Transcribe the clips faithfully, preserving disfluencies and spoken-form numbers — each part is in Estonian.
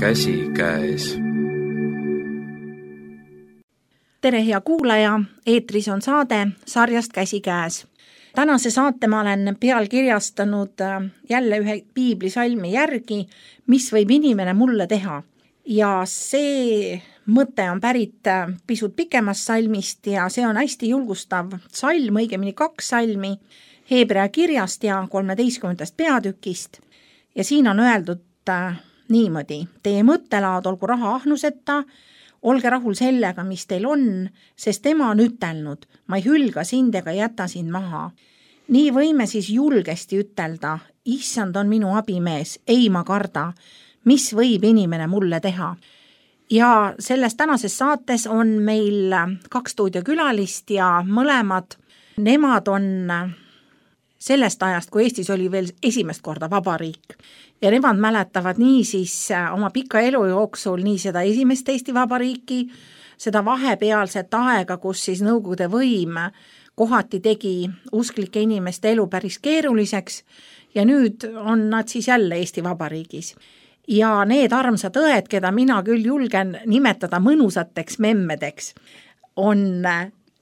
käsikäes. Tere hea kuulaja, eetris on saade sarjast Käsikäes. Tänase saate ma olen pealkirjastanud jälle ühe piiblisalmi järgi, mis võib inimene mulle teha. Ja see mõte on pärit pisut pikemast salmist ja see on hästi julgustav salm, õigemini kaks salmi, Heebrea kirjast ja kolmeteistkümnendast peatükist. Ja siin on öeldud niimoodi: teie mõttelaad olgu raha ahnuseta, olge rahul sellega, mis teil on, sest tema on ütelnud, ma ei hülga sind ega jäta sind maha. Nii võime siis julgesti ütelda, issand on minu abimees, ei ma karda, mis võib inimene mulle teha. Ja selles tänases saates on meil kaks stuudiokülalist ja mõlemad, nemad on sellest ajast, kui Eestis oli veel esimest korda vabariik. Ja nemad mäletavad nii siis oma pika elu jooksul nii seda esimest Eesti vabariiki, seda vahepealset aega, kus siis Nõukogude võim kohati tegi usklike inimeste elu päris keeruliseks ja nüüd on nad siis jälle Eesti vabariigis. Ja need armsad õed, keda mina küll julgen nimetada mõnusateks memmedeks, on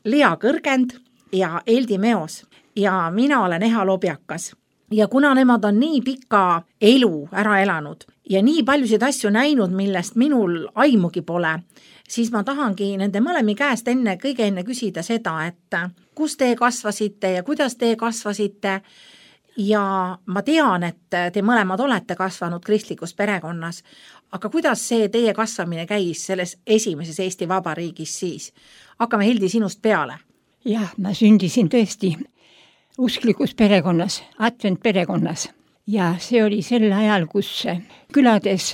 Lea Kõrgend ja Eldi Meos ja mina olen Eha Lobjakas. Ja kuna nemad on nii pika elu ära elanud ja nii paljusid asju näinud, millest minul aimugi pole, siis ma tahangi nende mõlemi käest enne kõige enne küsida seda, et kus te kasvasite ja kuidas te kasvasite. Ja ma tean, et te mõlemad olete kasvanud kristlikus perekonnas, aga kuidas see teie kasvamine käis selles esimeses Eesti vabariigis siis? Hakkame Hildi sinust peale. Jah, ma sündisin tõesti usklikus perekonnas, advent perekonnas. Ja see oli sel ajal, kus külades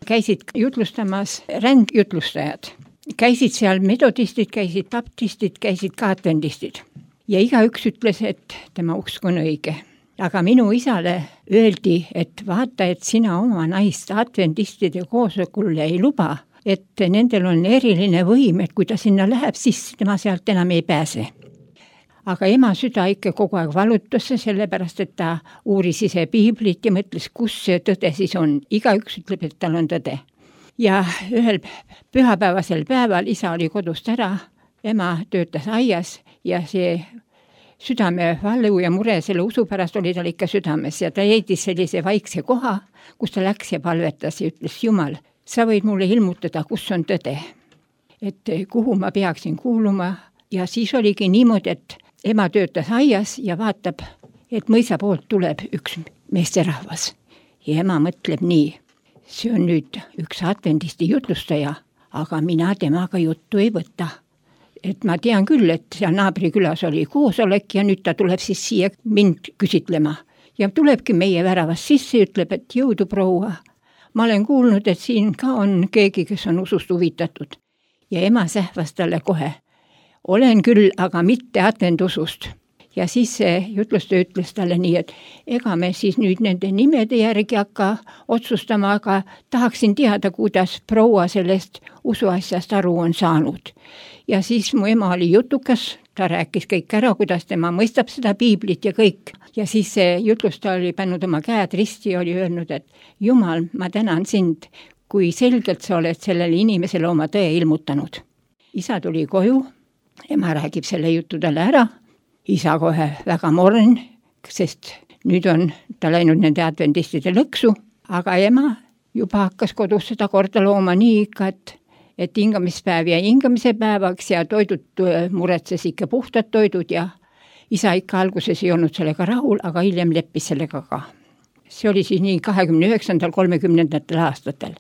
käisid jutlustamas rändjutlustajad. Käisid seal metodistid, käisid baptistid, käisid ka adventistid. Ja igaüks ütles, et tema usk on õige. Aga minu isale öeldi, et vaata, et sina oma naist adventistide koosolekul ei luba, et nendel on eriline võim, et kui ta sinna läheb, siis tema sealt enam ei pääse. Aga ema süda ikka kogu aeg valutas, sellepärast, et ta uuris ise piiblit ja mõtles, kus see tõde siis on. Igaüks ütleb, et tal on tõde. Ja ühel pühapäevasel päeval isa oli kodust ära, ema töötas aias ja see südame valu ja mure selle usu pärast oli tal ikka südames ja ta leidis sellise vaikse koha, kus ta läks ja palvetas ja ütles, Jumal, sa võid mulle ilmutada, kus on tõde, et kuhu ma peaksin kuuluma. Ja siis oligi niimoodi, et ema töötas aias ja vaatab, et mõisa poolt tuleb üks meesterahvas. Ja ema mõtleb nii, see on nüüd üks adventisti jutlustaja, aga mina temaga juttu ei võta. Et ma tean küll, et seal naabrikülas oli koosolek ja nüüd ta tuleb siis siia mind küsitlema. Ja tulebki meie väravas sisse, ütleb, et jõudu proua. Ma olen kuulnud, et siin ka on keegi, kes on usust huvitatud. Ja ema sähvas talle kohe. Olen küll, aga mitte adventusust. Ja siis see jutlustaja ütles talle nii, et ega me siis nüüd nende nimede järgi hakka otsustama, aga tahaksin teada, kuidas proua sellest usuasjast aru on saanud. Ja siis mu ema oli jutukas, ta rääkis kõik ära, kuidas tema mõistab seda piiblit ja kõik. Ja siis see jutlustaja oli pannud oma käed risti ja oli öelnud, et Jumal, ma tänan sind, kui selgelt sa oled sellele inimesele oma tõe ilmutanud. Isa tuli koju, ema räägib selle jutu talle ära, isa kohe väga morn, sest nüüd on ta läinud nende adventistide lõksu, aga ema juba hakkas kodus seda korda looma nii ikka, et et hingamispäev ja hingamise päevaks ja toidud muretses ikka puhtad toidud ja isa ikka alguses ei olnud sellega rahul, aga hiljem leppis sellega ka. See oli siis nii kahekümne üheksandal kolmekümnendatel aastatel.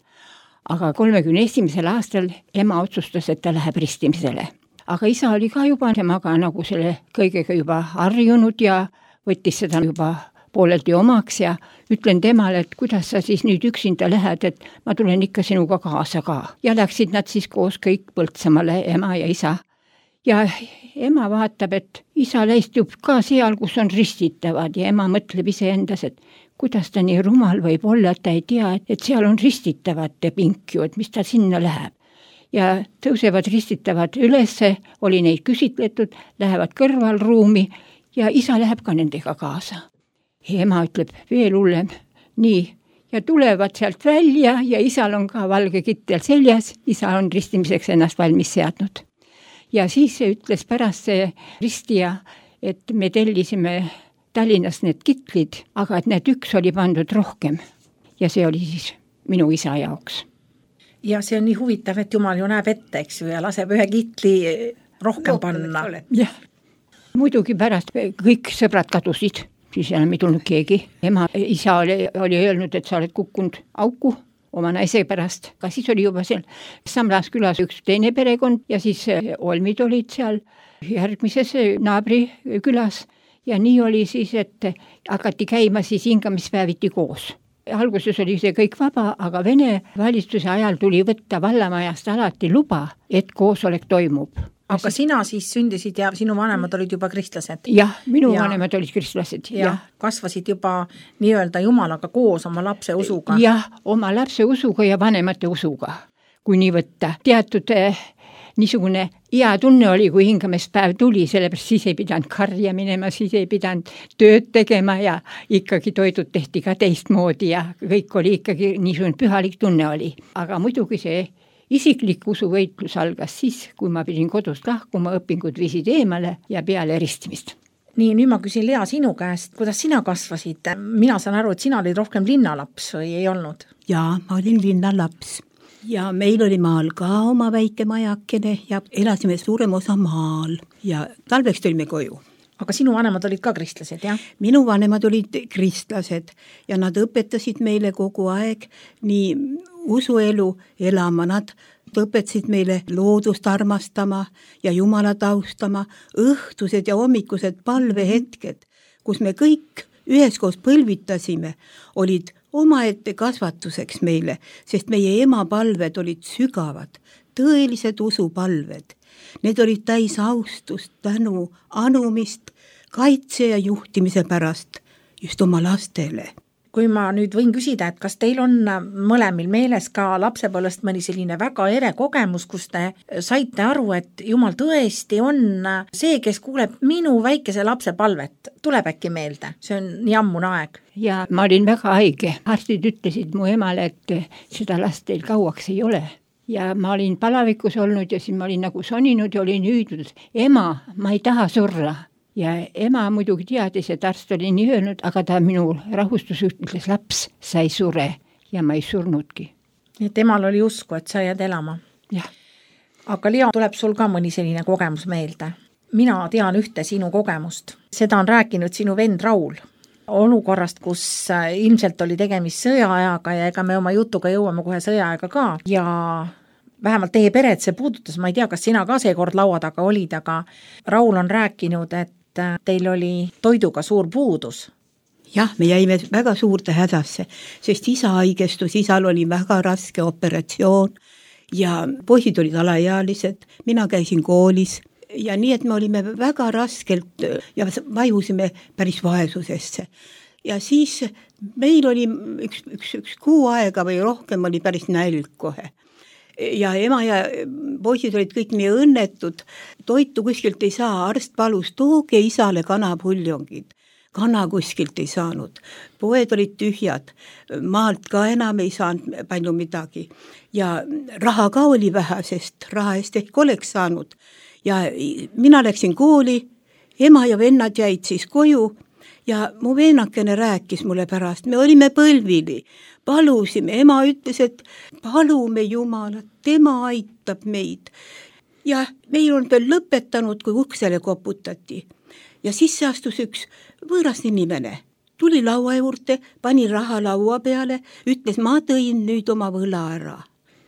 Aga kolmekümne esimesel aastal ema otsustas, et ta läheb ristimisele. Aga isa oli ka juba temaga nagu selle kõigega juba harjunud ja võttis seda juba pooleldi omaks ja ütlen temale, et kuidas sa siis nüüd üksinda lähed, et ma tulen ikka sinuga kaasa ka. Ja läksid nad siis koos kõik Põltsamale, ema ja isa. Ja ema vaatab, et isa läistub ka seal, kus on ristitavad ja ema mõtleb ise endas, et kuidas ta nii rumal võib olla, et ta ei tea, et seal on ristitavate pink ju, et mis ta sinna läheb. Ja tõusevad ristitavad ülesse, oli neid küsitletud, lähevad kõrvalruumi ja isa läheb ka nendega kaasa. Ja ema ütleb veel hullem, nii, ja tulevad sealt välja ja isal on ka valge kittel seljas, isa on ristimiseks ennast valmis seadnud. Ja siis ütles pärast see ristija, et me tellisime Tallinnas need kitlid, aga et need üks oli pandud rohkem ja see oli siis minu isa jaoks. Ja see on nii huvitav, et Jumal ju näeb ette, eks ju, ja laseb ühe kitli rohkem panna. Jah, muidugi pärast kõik sõbrad kadusid, siis enam ei tulnud keegi. Ema, isa oli, oli öelnud, et sa oled kukkunud auku oma naise pärast, aga siis oli juba seal Samlas külas üks teine perekond ja siis olmid olid seal järgmises naabri külas ja nii oli siis, et hakati käima siis hingamispäeviti koos. Alguses oli see kõik vaba, aga Vene valitsuse ajal tuli võtta vallamajast alati luba, et koosolek toimub. Aga sina siis sündisid ja sinu vanemad olid juba kristlased? Jah, minu ja, vanemad olid kristlased. Ja, ja kasvasid juba nii-öelda Jumalaga koos oma lapse usuga? Jah, oma lapse usuga ja vanemate usuga, kui nii võtta. Teatud eh, niisugune hea tunne oli, kui hingamispäev tuli, sellepärast siis ei pidanud karja minema, siis ei pidanud tööd tegema ja ikkagi toidud tehti ka teistmoodi ja kõik oli ikkagi niisugune pühalik tunne oli. Aga muidugi see isiklik usuvõitlus algas siis, kui ma pidin kodust lahkuma, õpingud viisid eemale ja peale eristimist. Nii, nüüd ma küsin Lea sinu käest, kuidas sina kasvasid? Mina saan aru, et sina olid rohkem linnalaps või ei olnud? Jaa, ma olin linnalaps. Ja meil oli maal ka oma väike majakene ja elasime suurem osa maal ja talveks tulime koju. Aga sinu vanemad olid ka kristlased, jah? Minu vanemad olid kristlased ja nad õpetasid meile kogu aeg nii usuelu elama. Nad õpetasid meile loodust armastama ja Jumalat austama, õhtused ja hommikused palvehetked, kus me kõik üheskoos põlvitasime, olid omaette kasvatuseks meile, sest meie ema palved olid sügavad, tõelised usupalved. Need olid täis austust, tänu, anumist, kaitse ja juhtimise pärast just oma lastele. Kui ma nüüd võin küsida, et kas teil on mõlemil meeles ka lapsepõlvest mõni selline väga ere kogemus, kus te saite aru, et Jumal tõesti on see, kes kuuleb minu väikese lapse palvet, tuleb äkki meelde? See on nii ammune aeg. Ja ma olin väga haige. Arstid ütlesid mu emale, et seda last teil kauaks ei ole. Ja ma olin palavikus olnud ja siis ma olin nagu soninud ja olin hüüdnud, ema, ma ei taha surra. Ja ema muidugi teadis, et arst oli nii öelnud, aga ta minu rahustus ütles, laps, sa ei sure ja ma ei surnudki. Ja temal oli usku, et sa jääd elama. Jah. Aga Lea, tuleb sul ka mõni selline kogemus meelde. Mina tean ühte sinu kogemust. Seda on rääkinud sinu vend Raul. Olukorrast, kus ilmselt oli tegemist sõjaajaga ja ega me oma jutuga jõuame kohe sõjaajaga ka. Ja vähemalt teie peret see puudutas, ma ei tea, kas sina ka see kord laua taga olid, aga Raul on rääkinud, et teil oli toiduga suur puudus. Jah, me jäime väga suurde hädasse, sest isa haigestus, isal oli väga raske operatsioon ja poisid olid alaealised, mina käisin koolis ja nii, et me olime väga raskelt ja vajusime päris vaesusesse. Ja siis meil oli üks, üks, üks kuu aega või rohkem oli päris nälg kohe. Ja ema ja poisid olid kõik nii õnnetud, toitu kuskilt ei saa, arst palus, tooge isale kanapuljongid. Kana kuskilt ei saanud, poed olid tühjad, maalt ka enam ei saanud palju midagi. Ja raha ka oli vähe, sest raha eest ehk oleks saanud. Ja mina läksin kooli, ema ja vennad jäid siis koju ja mu veenakene rääkis mulle pärast, me olime põlvili. Palusime, ema ütles, et palume Jumalat, tema aitab meid. Ja meil on veel lõpetanud, kui uksele koputati. Ja siis astus üks võõras inimene. Tuli laua juurde, pani raha laua peale, ütles, ma tõin nüüd oma võla ära.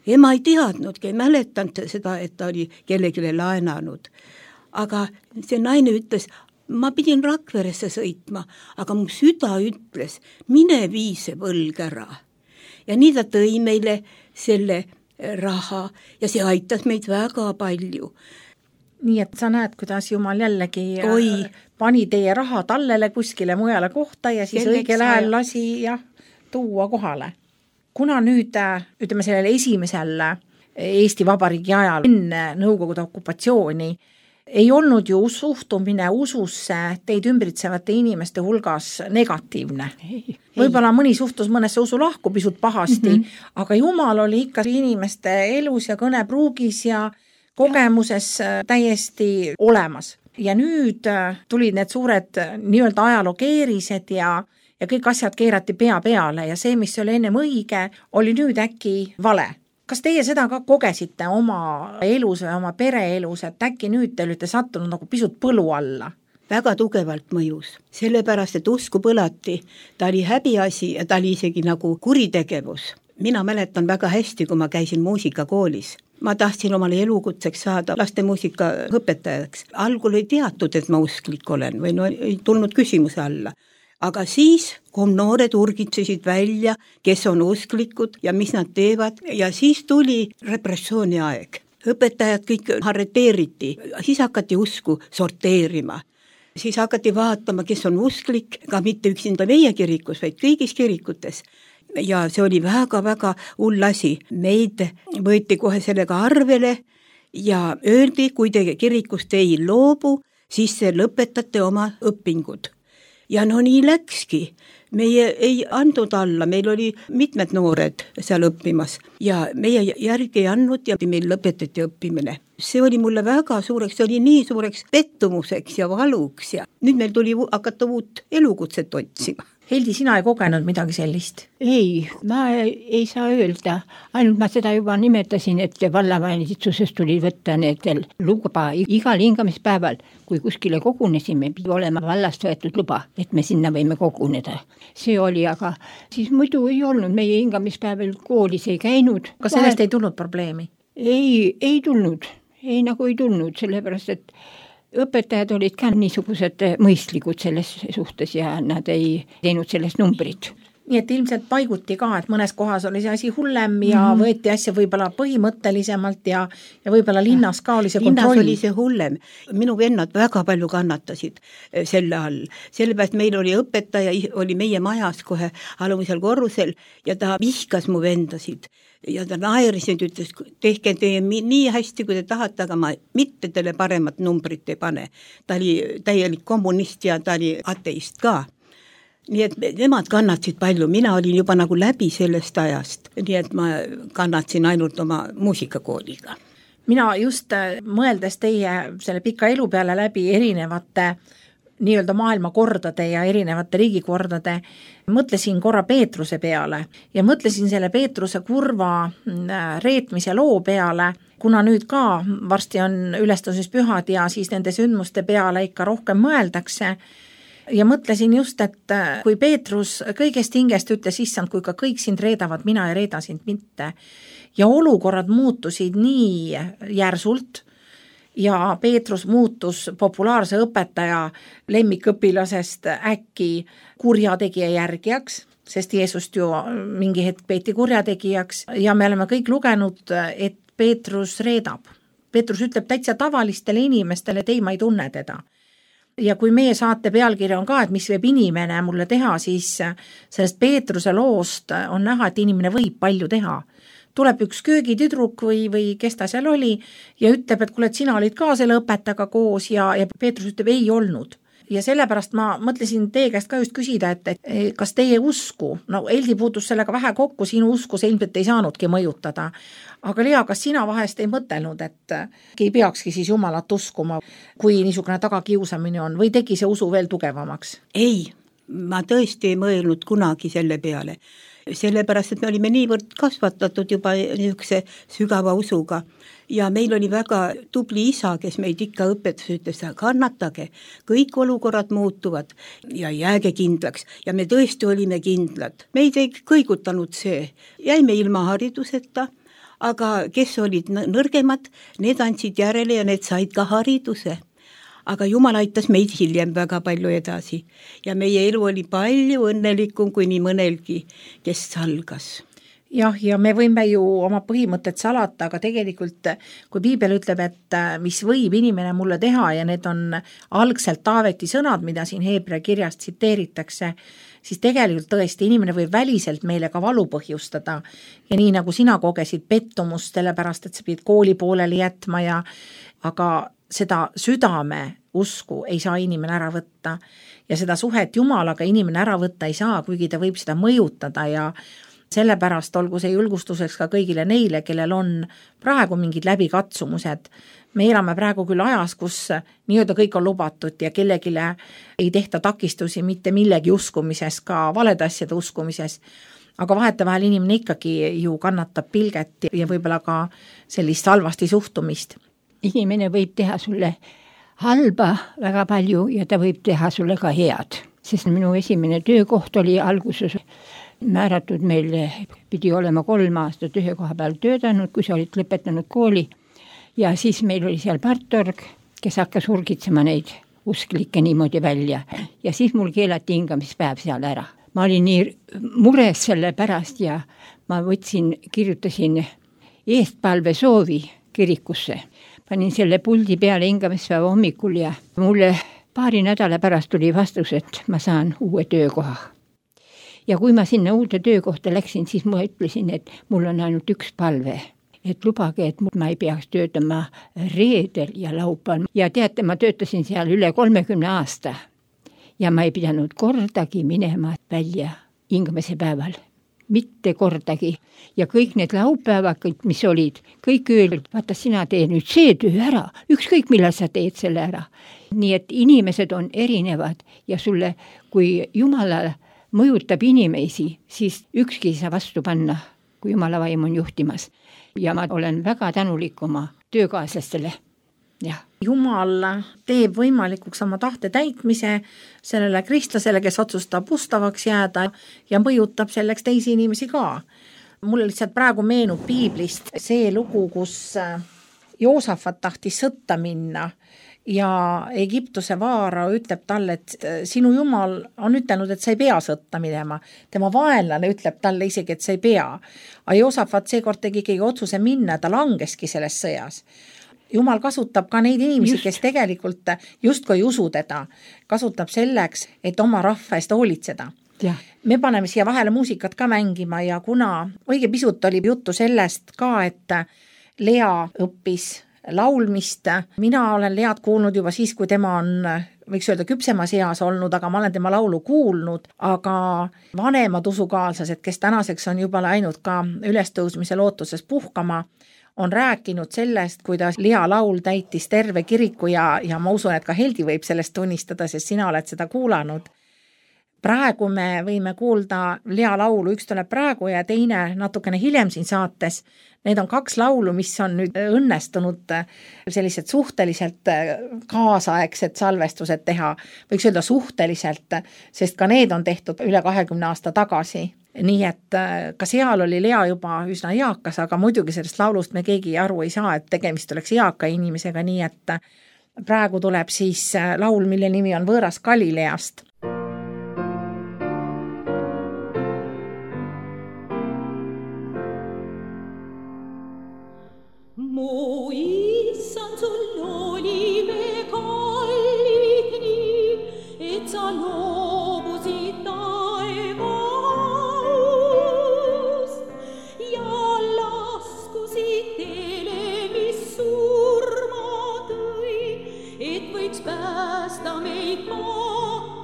Ema ei teadnudki, ei mäletanud seda, et ta oli kellegile laenanud. Aga see naine ütles, ma pidin Rakveresse sõitma, aga mu süda ütles, mine vii see võlg ära. Ja nii ta tõi meile selle raha ja see aitas meid väga palju. Nii et sa näed, kuidas Jumal jällegi Oi. pani teie raha tallele kuskile mujale kohta ja siis Selleks õigel ajal lasi ja tuua kohale. Kuna nüüd, ütleme sellele esimesel Eesti Vabariigi ajal enne Nõukogude okupatsiooni ei olnud ju suhtumine ususse teid ümbritsevate inimeste hulgas negatiivne. Võib-olla mõni suhtus mõnesse usulahku pisut pahasti, mm -hmm. aga Jumal oli ikka inimeste elus ja kõnepruugis ja kogemuses täiesti olemas. Ja nüüd tulid need suured nii-öelda ajalookeerised ja, ja kõik asjad keerati pea peale ja see, mis oli ennem õige, oli nüüd äkki vale. Kas teie seda ka kogesite oma elus või oma pereelus, et äkki nüüd te olite sattunud nagu pisut põlu alla? Väga tugevalt mõjus, sellepärast, et usku põlati, ta oli häbiasi ja ta oli isegi nagu kuritegevus. Mina mäletan väga hästi, kui ma käisin muusikakoolis. Ma tahtsin omale elukutseks saada laste muusika õpetajaks. Algul ei teatud, et ma usklik olen või no ei tulnud küsimuse alla. Aga siis, kui noored urgitsesid välja, kes on usklikud ja mis nad teevad, ja siis tuli repressiooni aeg. Õpetajad kõik arreteeriti, siis hakati usku sorteerima. Siis hakati vaatama, kes on usklik, ka mitte üksinda meie kirikus, vaid kõigis kirikutes. Ja see oli väga-väga hull asi. Meid võeti kohe sellega arvele ja öeldi, kui te kirikust ei loobu, siis te lõpetate oma õpingud. Ja no nii läkski. Meie ei andnud alla, meil oli mitmed noored seal õppimas ja meie järgi ei andnud ja meil lõpetati õppimine. See oli mulle väga suureks, see oli nii suureks pettumuseks ja valuks ja nüüd meil tuli hakata uut elukutset otsima. Heldi, sina ei kogenud midagi sellist? Ei, ma ei saa öelda. Ainult ma seda juba nimetasin, et vallavalitsusest tuli võtta need luba igal hingamispäeval, kui kuskile kogunesime, pidi olema vallast võetud luba, et me sinna võime koguneda. See oli, aga siis muidu ei olnud, meie hingamispäeval koolis ei käinud. Kas sellest Vahel... ei tulnud probleemi? Ei, ei tulnud. Ei nagu ei tulnud, sellepärast, et õpetajad olid ka niisugused mõistlikud selles suhtes ja nad ei teinud sellest numbrit. Nii et ilmselt paiguti ka, et mõnes kohas oli see asi hullem ja mm-hmm. võeti asja võib-olla põhimõttelisemalt ja, ja võib-olla linnas ka oli see linnas kontroll. Linnas oli see hullem. Minu vennad väga palju kannatasid selle all. Sellepärast meil oli õpetaja, oli meie majas kohe alumisel korrusel ja ta vihkas mu vendasid. Ja ta naeris ja ütles, tehke teie nii hästi, kui te tahate, aga ma mitte teile paremat numbrit ei pane. Ta oli täielik kommunist ja ta oli ateist ka. Nii et nemad kannatsid palju, mina olin juba nagu läbi sellest ajast, nii et ma kannatsin ainult oma muusikakooliga. Mina just mõeldes teie selle pika elu peale läbi erinevate nii-öelda maailmakordade ja erinevate riigikordade, mõtlesin korra Peetruse peale ja mõtlesin selle Peetruse kurva reetmise loo peale, kuna nüüd ka varsti on ülestõusmispühad ja siis nende sündmuste peale ikka rohkem mõeldakse. Ja mõtlesin just, et kui Peetrus kõigest hingest ütles, issand, kui ka kõik sind reedavad, mina ei reeda sind mitte. Ja olukorrad muutusid nii järsult ja Peetrus muutus populaarse õpetaja lemmikõpilasest äkki kurjategija järgijaks, sest Jeesust ju mingi hetk peeti kurjategijaks ja me oleme kõik lugenud, et Peetrus reedab. Peetrus ütleb täitsa tavalistele inimestele, et ei, ma ei tunne teda. Ja kui meie saate pealkirja on ka, et mis võib inimene mulle teha, siis sellest Peetruse loost on näha, et inimene võib palju teha. Tuleb üks köögitüdruk või, või kes ta seal oli ja ütleb, et kuule, et sina olid ka selle õpetajaga koos ja, ja Peetrus ütleb, ei olnud. Ja sellepärast ma mõtlesin teie käest ka just küsida, et, et kas teie usku, no Heldi puutus sellega vähe kokku, sinu usku see ilmselt ei saanudki mõjutada. Aga Lea, kas sina vahest ei mõtelnud, et ei peakski siis Jumalat uskuma, kui niisugune tagakiusamine on või tegi see usu veel tugevamaks? Ei, ma tõesti ei mõelnud kunagi selle peale. Sellepärast, et me olime niivõrd kasvatatud juba niisuguse sügava usuga ja meil oli väga tubli isa, kes meid ikka õpetas, ütles, kannatage, kõik olukorrad muutuvad ja jääge kindlaks ja me tõesti olime kindlad. Meid ei kõigutanud see, jäime ilma hariduseta, aga kes olid nõrgemad, need andsid järele ja need said ka hariduse. Aga Jumal aitas meid hiljem väga palju edasi ja meie elu oli palju õnnelikum kui nii mõnelgi, kes salgas. Jah, ja me võime ju oma põhimõtted salata, aga tegelikult kui Piibel ütleb, et mis võib inimene mulle teha ja need on algselt Taaveti sõnad, mida siin Heebrea kirjast tsiteeritakse, siis tegelikult tõesti inimene võib väliselt meile ka valu põhjustada ja nii nagu sina kogesid pettumust, sellepärast et sa pidid kooli pooleli jätma ja aga seda südame usku ei saa inimene ära võtta ja seda suhet Jumalaga inimene ära võtta ei saa, kuigi ta võib seda mõjutada ja sellepärast olgu see julgustuseks ka kõigile neile, kellel on praegu mingid läbikatsumused. Me elame praegu küll ajas, kus nii-öelda kõik on lubatud ja kellegile ei tehta takistusi mitte millegi uskumises, ka valede asjade uskumises, aga vahetevahel inimene ikkagi ju kannatab pilget ja võib-olla ka sellist halvasti suhtumist. Inimene võib teha sulle halba väga palju ja ta võib teha sulle ka head, sest minu esimene töökoht oli alguses määratud meil, pidi olema kolm aastat ühe koha peal töötanud, kui sa olid lõpetanud kooli ja siis meil oli seal partorg, kes hakkas urgitsema neid usklikke niimoodi välja ja siis mul keelati hingamispäev seal ära. Ma olin nii mures selle pärast ja ma võtsin, kirjutasin eestpalve soovi kirikusse. Panin selle puldi peale hingamispäeva hommikul ja mulle paari nädala pärast tuli vastus, et ma saan uue töökoha. Ja kui ma sinna uude töökohta läksin, siis ma ütlesin, et mul on ainult üks palve, et lubage, et ma ei peaks töötama reedel ja laupäeval. Ja teate, ma töötasin seal üle kolmekümne aasta ja ma ei pidanud kordagi minema välja hingamise päeval. Mitte kordagi. Ja kõik need laupäevad, mis olid, kõik öeldud, vaata sina tee nüüd see töö ära, ükskõik millal sa teed selle ära. Nii et inimesed on erinevad ja sulle, kui Jumala mõjutab inimesi, siis ükski ei saa vastu panna, kui Jumala vaim on juhtimas. Ja ma olen väga tänulik oma töökaaslastele. Jah. Jumal teeb võimalikuks oma tahte täitmise sellele kristlasele, kes otsustab ustavaks jääda ja mõjutab selleks teisi inimesi ka. Mulle lihtsalt praegu meenub piiblist see lugu, kus Joosafat tahtis sõtta minna ja Egiptuse vaara ütleb talle, et sinu Jumal on ütelnud, et sa ei pea sõtta minema. Tema vaenlane ütleb talle isegi, et sa ei pea. Aga Joosafat seekord tegi keegi otsuse minna, ta langeski selles sõjas. Jumal kasutab ka neid inimesi, just. Kes tegelikult justkui ei usu teda, kasutab selleks, et oma rahva eest hoolitseda. Ja. Me paneme siia vahele muusikat ka mängima ja kuna õige pisut oli juttu sellest ka, et Lea õppis laulmist, mina olen Lead kuulnud juba siis, kui tema on, võiks öelda, küpsemas eas olnud, aga ma olen tema laulu kuulnud, aga vanemad usukaaslased, kes tänaseks on juba läinud ka ülestõusmise lootuses puhkama, on rääkinud sellest, kuidas Lea laul täitis terve kiriku ja, ja ma usun, et ka Heldi võib sellest tunnistada, sest sina oled seda kuulanud. Praegu me võime kuulda Lea laulu, üks tuleb praegu ja teine natukene hiljem siin saates. Need on kaks laulu, mis on nüüd õnnestunud sellised suhteliselt kaasaegsed salvestused teha, võiks öelda suhteliselt, sest ka need on tehtud üle kahekümne aasta tagasi. Nii et ka seal oli Lea juba üsna eakas, aga muidugi sellest laulust me keegi aru ei saa, et tegemist oleks eaka inimesega, nii et praegu tuleb siis laul, mille nimi on Võõras Galileast. Mu issand, sul oli me kallid nii, et sa loobusid päästa meid mahtusist.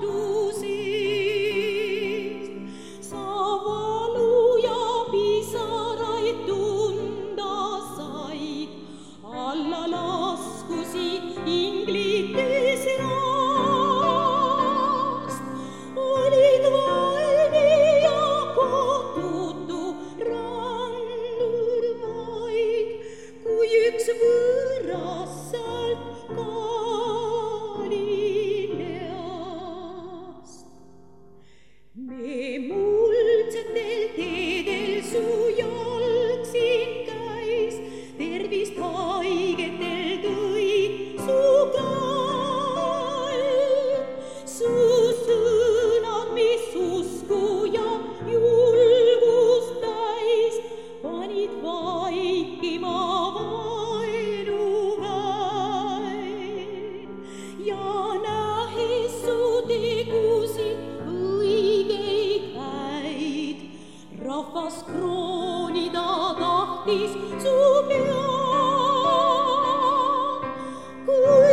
Sa valu ja pisaraid tunda said, alla laskusid inglites rast. Olid valmi ja kohtutu randur vaid, kui üks võõras sealt ka me muldsetel teedel su jalg siin käis, tervist haigetel tõi su kall. Su sõnad, mis usku ja julgust täis, panid vaikima vaenuväed. Ja nähes su tegusid rahvas kroonida tahtis su pead, kui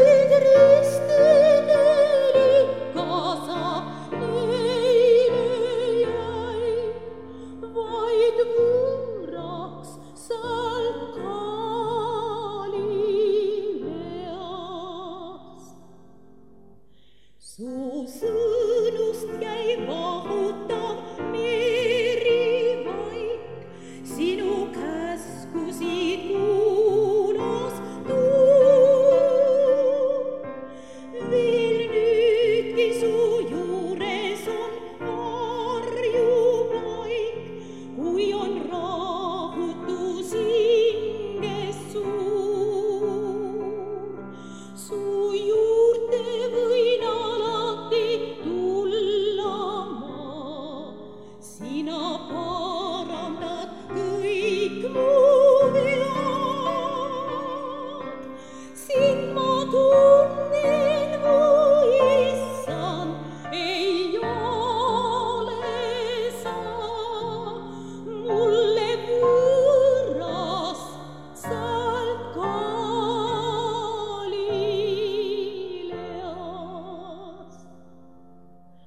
sina parandad kõik mu vead. Sind ma tunnen, mu issand, ei ole sa mulle võõras sealt Galileast.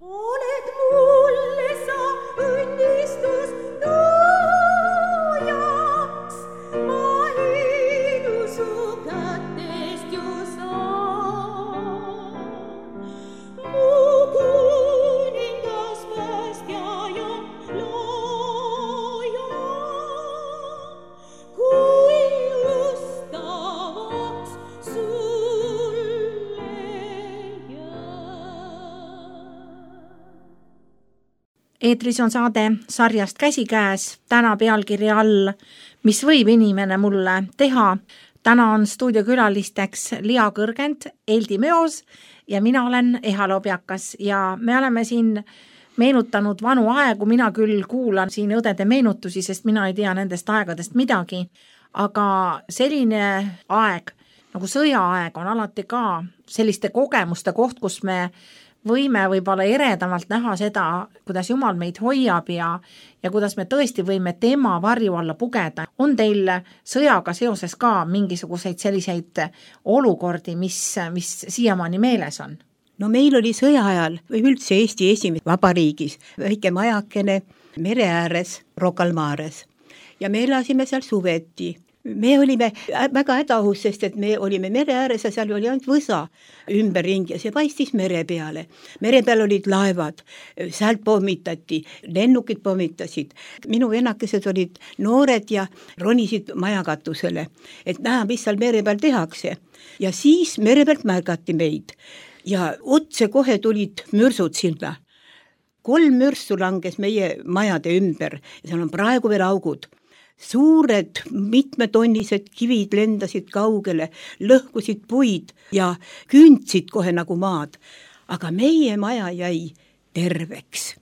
Oled mulle sa õnnistus toojaks, ma hiidu su kätest ju saan. Mu kuningas, päästja ja looja, kui ustavaks sulle jää. eetris on saade sarjast Käsikäes, täna pealkirja all Mis võib inimene mulle teha. Täna on stuudiokülalisteks Lia Kõrgend, Eldi Meos ja mina olen Eha Lobjakas ja me oleme siin meenutanud vanu aegu. Mina küll kuulan siin õdede meenutusi, sest mina ei tea nendest aegadest midagi, aga selline aeg nagu sõjaaeg on alati ka selliste kogemuste koht, kus me võime võib-olla eredamalt näha seda, kuidas Jumal meid hoiab ja, ja kuidas me tõesti võime tema varju alla pugeda. On teil sõjaga seoses ka mingisuguseid selliseid olukordi, mis, mis siiamaani meeles on? No meil oli sõja ajal või üldse Eesti esimese vabariigis väike majakene mere ääres Rocca al Mares ja me elasime seal suveti. Me olime väga hädaohus, sest et me olime mere ääres ja seal oli ainult võsa ümberringi ja see paistis mere peale. Mere peal olid laevad, sealt pommitati, lennukid pommitasid. Minu vennakesed olid noored ja ronisid majakatusele, et näha, mis seal mere peal tehakse. Ja siis mere pealt märgati meid ja otse kohe tulid mürsud sinna. Kolm mürsu langes meie majade ümber ja seal on praegu veel augud. Suured mitmetonnised kivid lendasid kaugele, lõhkusid puid ja kündsid kohe nagu maad. Aga meie maja jäi terveks.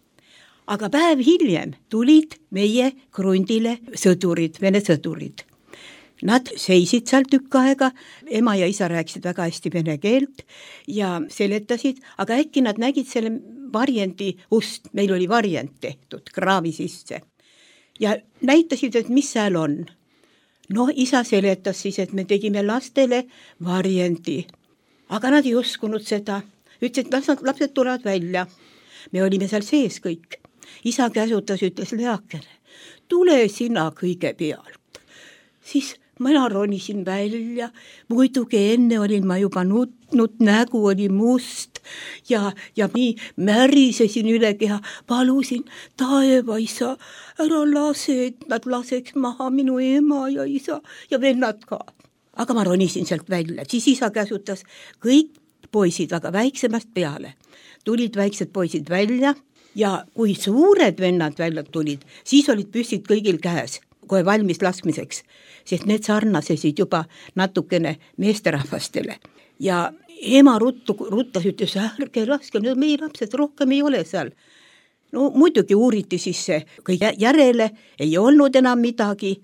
Aga päev hiljem tulid meie krundile sõdurid, vene sõdurid. Nad seisid seal tükk aega, ema ja isa rääkisid väga hästi vene keelt ja seletasid, aga äkki nad nägid selle varjendi ust, meil oli varjend tehtud kraavi sisse. Ja näitasid, et mis seal on. No isa seletas siis, et me tegime lastele varjendi. Aga nad ei uskunud seda. Ütles, et lapsed, lapsed tulevad välja. Me olime seal sees kõik. Isa käsutas, ütles Leakene, tule sina kõige pealt. Siis mina ronisin välja, muidugi enne olin ma juba nutnud, nägu oli must ja, ja nii märisesin üle keha, palusin taevaisa, ära lase, et nad laseks maha minu ema ja isa ja vennad ka. Aga ma ronisin sealt välja, siis isa käsutas kõik poisid, aga väiksemast peale. Tulid väiksed poisid välja ja kui suured vennad välja tulid, siis olid püssid kõigil käes, kohe valmis laskmiseks, sest need sarnasesid juba natukene meesterahvastele. Ja ema ruttu, ruttas, ütles, ärge laske, meie lapsed rohkem ei ole seal. No muidugi uuriti siis see kõige järele, ei olnud enam midagi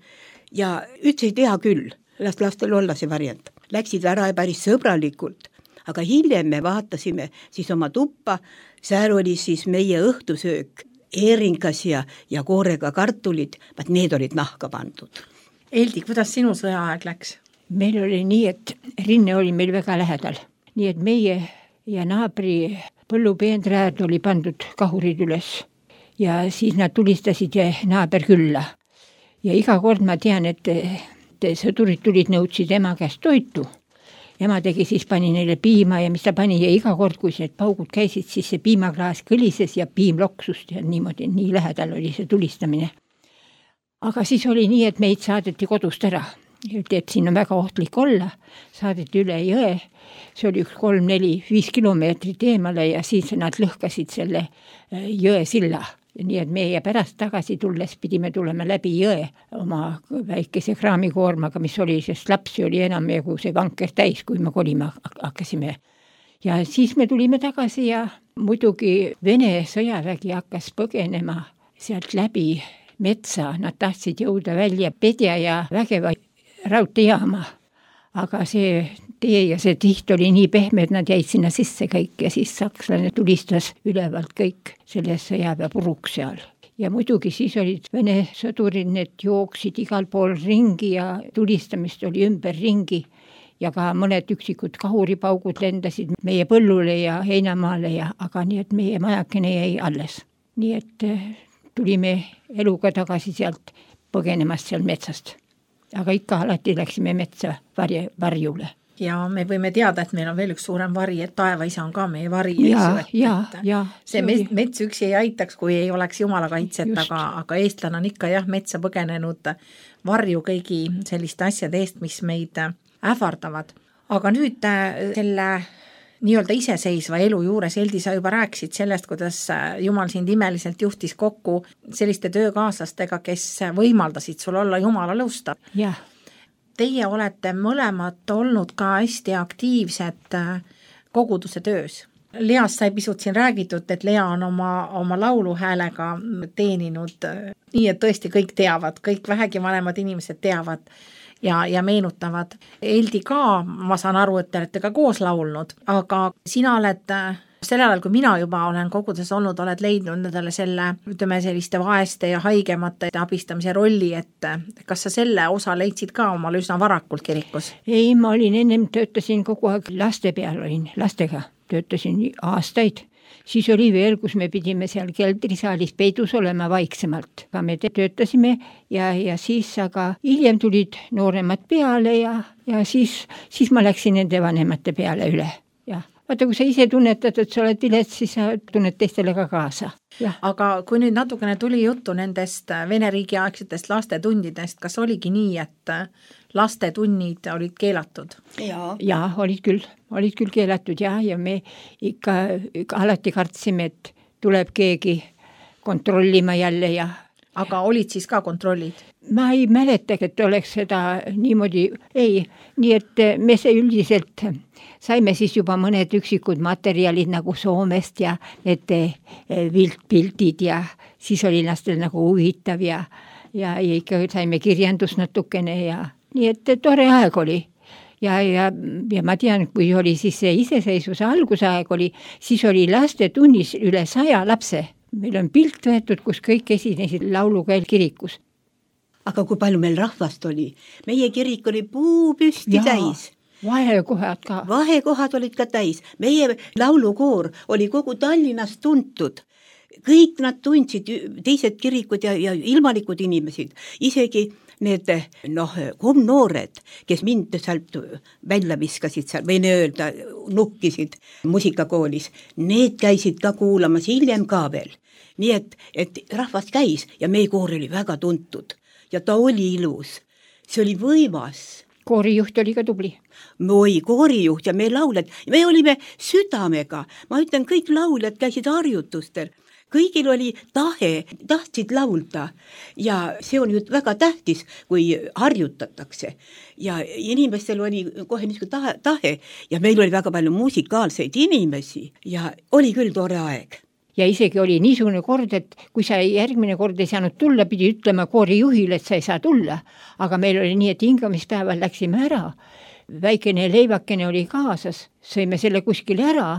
ja ütles, ei tea küll, las lastel olla see variant. Läksid ära päris sõbralikult, aga hiljem me vaatasime siis oma tuppa, seal oli siis meie õhtusöök, eeringas ja, ja koorega kartulid, vaat need olid nahka pandud. Eldi, kuidas sinu sõjaaeg läks? Meil oli nii, et rinne oli meil väga lähedal. Nii et meie ja naabri põllupeendraad oli pandud kahurid üles ja siis nad tulistasid naaber külla. Ja iga kord ma tean, et, et sõdurid tulid nõudsid ema käest toitu. Ema tegi siis pani neile piima ja mis ta pani ja iga kord, kui need paugud käisid, siis see piimaklaas kõlises ja piim loksust ja niimoodi, nii lähedal oli see tulistamine. Aga siis oli nii, et meid saadeti kodust ära. Et siin on väga ohtlik olla, saadeti üle jõe, see oli üks kolm, neli, viis kilomeetrit eemale ja siis nad lõhkasid selle jõe silla. Nii et meie pärast tagasi tulles pidime tulema läbi jõe oma väikese kraamikoormaga, mis oli, sest lapsi oli enam kui see vanker täis, kui me kolima hakkasime. Ja siis me tulime tagasi ja muidugi Vene sõjavägi hakkas põgenema sealt läbi metsa, nad tahtsid jõuda välja Pedja ja Vägeva raudteejaama. Aga see tee ja see tiht oli nii pehme, et nad jäid sinna sisse kõik ja siis sakslane tulistas ülevalt kõik selle sõjaväe puruks seal. Ja muidugi siis olid Vene sõdurid, need jooksid igal pool ringi ja tulistamist oli ümber ringi ja ka mõned üksikud kahuripaugud lendasid meie põllule ja heinamaale ja aga nii, et meie majakene jäi alles. Nii et tulime eluga tagasi sealt põgenemast seal metsast. Aga ikka alati läksime metsa varje, varjule. Ja me võime teada, et meil on veel üks suurem vari, et taevaisa on ka meie vari. Ja, ja, ja. See mets, mets üksi ei aitaks, kui ei oleks jumala kaitset, aga, aga eestlane on ikka jah, metsa põgenenud varju kõigi selliste asjade eest, mis meid ähvardavad. Aga nüüd selle nii-öelda iseseisva elu juures, Eldi, sa juba rääkisid sellest, kuidas Jumal sind imeliselt juhtis kokku selliste töökaaslastega, kes võimaldasid sul olla Jumala lõustav. Jah. Teie olete mõlemad olnud ka hästi aktiivsed koguduse töös. Least sai pisut siin räägitud, et Lea on oma, oma lauluhäälega teeninud nii, et tõesti kõik teavad, kõik vähegi vanemad inimesed teavad ja, ja meenutavad. Eldi ka, ma saan aru, et te olete ka koos laulnud, aga sina oled sel ajal, kui mina juba olen kogudes olnud, oled leidnud nendele selle, ütleme, selliste vaeste ja haigemate abistamise rolli, et kas sa selle osa leidsid ka omal üsna varakult kirikus? Ei, ma olin ennem, töötasin kogu aeg laste peal, olin lastega, töötasin aastaid. Siis oli veel, kus me pidime seal keldrisaalis peidus olema vaiksemalt. Aga me töötasime ja, ja siis aga hiljem tulid nooremad peale ja, ja siis, siis ma läksin nende vanemate peale üle. Ja. Vaata, kui sa ise tunnetad, et sa oled vilets, siis sa tunned teistele ka kaasa. Ja. Aga kui nüüd natukene tuli juttu nendest Vene riigi aegsetest lastetundidest, kas oligi nii, et lastetunnid olid keelatud? Ja, ja olid küll, olid küll keelatud ja, ja me ikka, ikka alati kartsime, et tuleb keegi kontrollima jälle ja aga olid siis ka kontrollid? Ma ei mäleta, et oleks seda niimoodi, ei, nii et me see üldiselt saime siis juba mõned üksikud materjalid nagu Soomest ja need viltpildid ja siis oli lastel nagu huvitav ja, ja, ja ikka saime kirjandus natukene ja nii et tore aeg oli. Ja, ja, ja ma tean, kui oli siis see iseseisvuse algusaeg oli, siis oli lastetunnis üle saja lapse. Meil on pilt võetud, kus kõik esinesid laulukäel kirikus. Aga kui palju meil rahvast oli? Meie kirik oli puu püsti ja, täis. Vahekohad ka. Vahekohad olid ka täis. Meie laulukoor oli kogu Tallinnas tuntud. Kõik nad tundsid, teised kirikud ja, ja ilmalikud inimesed. Isegi need noh, komnoored, kes mind sealt välja viskasid seal, või öelda, nukkisid musikakoolis, need käisid ka kuulamas hiljem ka veel. Nii et, et rahvas käis ja meie koor oli väga tuntud ja ta oli ilus. See oli võimas. Koorijuht oli ka tubli. Moi, koorijuht ja me lauled. Me olime südamega. Ma ütlen, kõik lauljad käisid harjutustel. Kõigil oli tahe, tahtsid laulda ja see on ju väga tähtis, kui harjutatakse. Ja inimestel oli kohe niisugune tahe, tahe ja meil oli väga palju musikaalseid inimesi ja oli küll tore aeg. Ja isegi oli niisugune kord, et kui sa järgmine kord ei saanud tulla, pidi ütlema koorijuhile, et sa ei saa tulla. Aga meil oli nii, et hingamispäeval läksime ära. Väikene leivakene oli kaasas, sõime selle kuskile ära.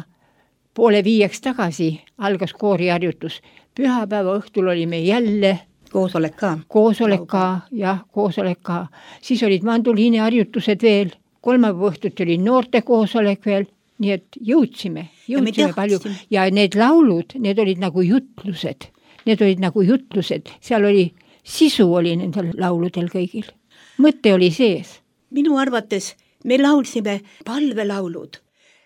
Poole viieks tagasi algas kooriharjutus. Pühapäeva õhtul olime jälle koosolek ka. Koosolek ka, jah, koosolek ka. Siis olid manduliini harjutused veel. Kolmapäeva õhtut oli noorte koosolek veel. Nii et jõudsime, jõudsime ja palju. Ja need laulud, need olid nagu jutlused. Need olid nagu jutlused. Seal oli, sisu oli nendel lauludel kõigil. Mõte oli sees. Minu arvates me laulsime palvelaulud.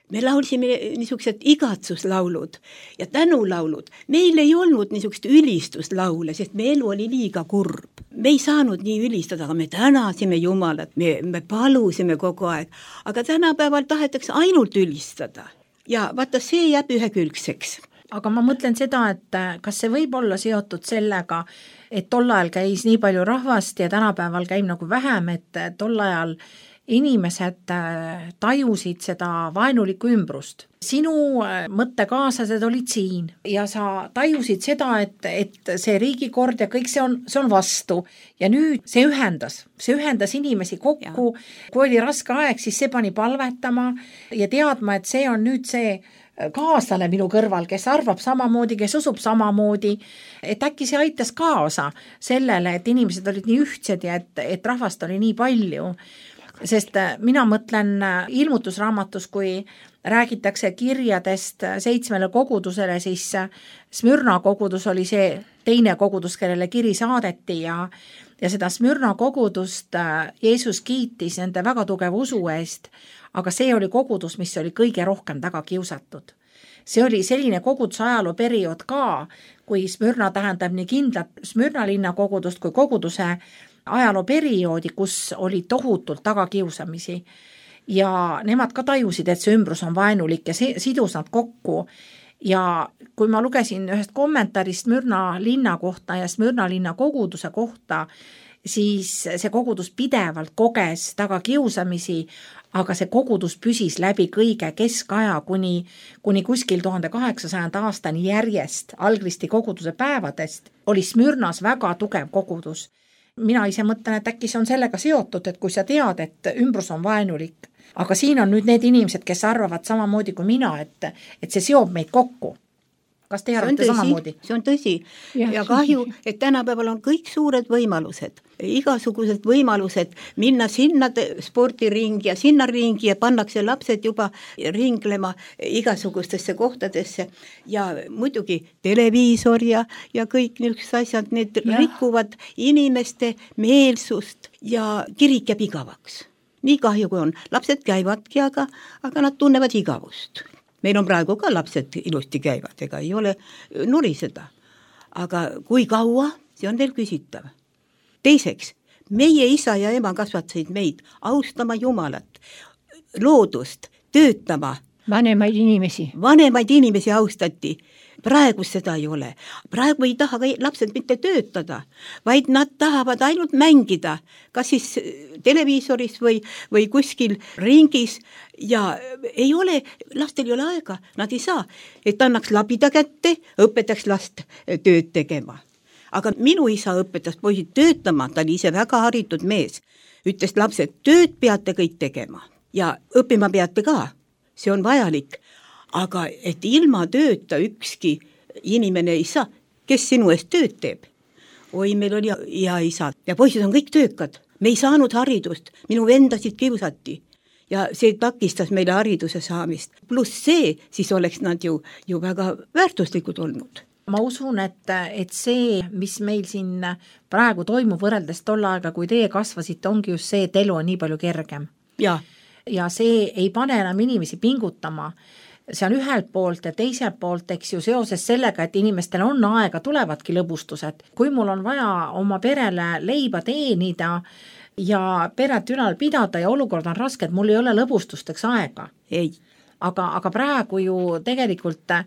Me laulsime niisugused igatsuslaulud ja tänulaulud. Meil ei olnud niisugust ülistuslaule, sest me elu oli liiga kurb. Me ei saanud nii ülistada, aga me tänasime Jumalat, me, me palusime kogu aeg. Aga tänapäeval tahetakse ainult ülistada. Ja vaata, see jääb ühekülgseks. Aga ma mõtlen seda, et kas see võib olla seotud sellega, et tol ajal käis nii palju rahvast ja tänapäeval käib nagu vähem, et tol ajal inimesed tajusid seda vaenulikku ümbrust. Sinu mõttekaaslased olid siin ja sa tajusid seda, et, et see riigikord ja kõik see on, see on vastu. Ja nüüd see ühendas, see ühendas inimesi kokku. Ja. Kui oli raske aeg, siis see pani palvetama ja teadma, et see on nüüd see kaaslane minu kõrval, kes arvab samamoodi, kes usub samamoodi, et äkki see aitas kaasa sellele, et inimesed olid nii ühtsed ja et, et rahvast oli nii palju. Sest mina mõtlen ilmutusraamatus, kui räägitakse kirjadest seitsmele kogudusele, siis Smürna kogudus oli see teine kogudus, kellele kiri saadeti ja, ja seda Smürna kogudust Jeesus kiitis nende väga tugeva usu eest, aga see oli kogudus, mis oli kõige rohkem taga kiusatud. See oli selline koguduse ajaloo periood ka, kui Smürna tähendab nii kindlat Smürna linna kogudust kui koguduse ajaloo perioodi, kus oli tohutult tagakiusamisi ja nemad ka tajusid, et see ümbrus on vaenulik ja see sidus nad kokku. Ja kui ma lugesin ühest kommentaarist Smürna linna kohta ja Smürna linna koguduse kohta, siis see kogudus pidevalt koges tagakiusamisi, aga see kogudus püsis läbi kõige keskaja kuni, kuni kuskil tuhande kaheksasajanda aastani järjest Algristi koguduse päevadest oli Smürnas väga tugev kogudus. Mina ise mõtlen, et äkki see on sellega seotud, et kui sa tead, et ümbrus on vaenulik, aga siin on nüüd need inimesed, kes arvavad samamoodi kui mina, et, et see seob meid kokku. Kas te arvate samamoodi? See on tõsi. Ja, ja kahju, et tänapäeval on kõik suured võimalused, igasugused võimalused minna sinna spordiringi ja sinna ringi ja pannakse lapsed juba ringlema igasugustesse kohtadesse ja muidugi televiisor ja, ja kõik niisugused asjad, need ja. Rikuvad inimeste meelsust ja kirik jääb igavaks. Nii kahju kui on. Lapsed käivadki, aga, aga nad tunnevad igavust. Meil on praegu ka lapsed ilusti käivad, ega ei ole nuriseda. Aga kui kaua, see on veel küsitav. Teiseks, meie isa ja ema kasvatasid meid austama Jumalat, loodust, töötama. Vanemaid inimesi. Vanemaid inimesi austati. Praegu seda ei ole. Praegu ei taha lapsed mitte töötada, vaid nad tahavad ainult mängida, kas siis televiisoris või, või kuskil ringis ja ei ole, lastel ei ole aega, nad ei saa, et annaks labida kätte, õpetaks last tööd tegema. Aga minu isa õpetas poisid töötama, ta oli ise väga haritud mees, ütles lapsed, tööd peate kõik tegema ja õppima peate ka, see on vajalik. Aga et ilma tööta ükski inimene ei saa, kes sinu eest tööd teeb. Oi, meil oli hea isa ja poisid on kõik töökad. Me ei saanud haridust, minu vendasid kiusati ja see takistas meile hariduse saamist. Plus see, siis oleks nad ju, ju väga väärtuslikud olnud. Ma usun, et, et see, mis meil siin praegu toimub võrreldes tol aega, kui teie kasvasite, ongi just see, et elu on nii palju kergem. Ja, ja see ei pane enam inimesi pingutama. See on ühelt poolt ja teiselt poolt, eks ju, seoses sellega, et inimestel on aega, tulevadki lõbustused. Kui mul on vaja oma perele leiba teenida ja peret ülal pidada ja olukord on raske, et mul ei ole lõbustusteks aega. Ei. Aga, aga praegu ju tegelikult,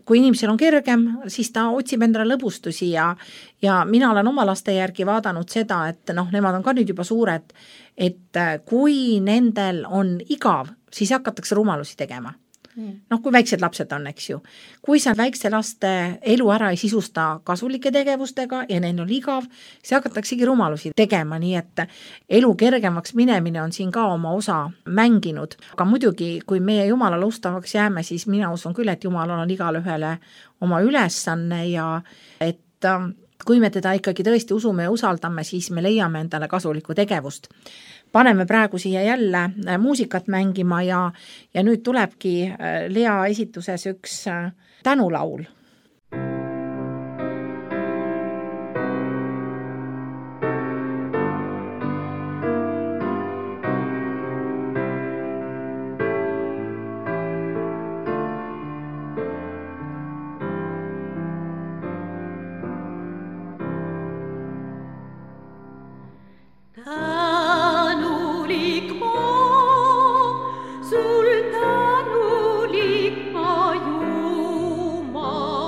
kui inimesel on kergem, siis ta otsib endale lõbustusi ja, ja mina olen oma laste järgi vaadanud seda, et noh, nemad on ka nüüd juba suured, et kui nendel on igav, siis hakatakse rumalusi tegema. Noh, kui väiksed lapsed on, eks ju. Kui sa väikse laste elu ära ei sisusta kasulike tegevustega ja neil on igav, siis hakataksegi rumalusi tegema, nii et elu kergemaks minemine on siin ka oma osa mänginud. Aga muidugi, kui meie Jumalale ustavaks jääme, siis mina usun küll, et Jumalal on igale ühele oma ülesanne ja et kui me teda ikkagi tõesti usume ja usaldame, siis me leiame endale kasulikku tegevust. Paneme praegu siia jälle muusikat mängima ja, ja nüüd tulebki Lea esituses üks tänulaul. Sul tänulik ma Jumal.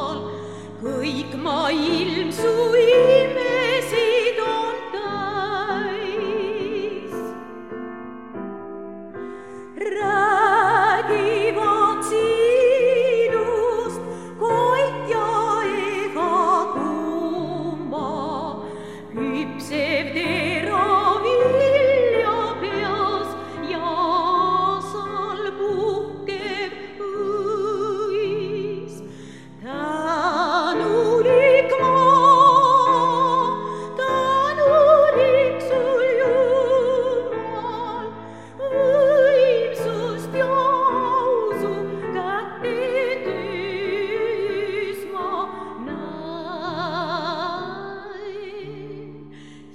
küpsev teravilja peas ja aasal puhkev õis. Tänulik maa, tänulik sul Jumal, võimsust ja ausu kätte töös ma näin.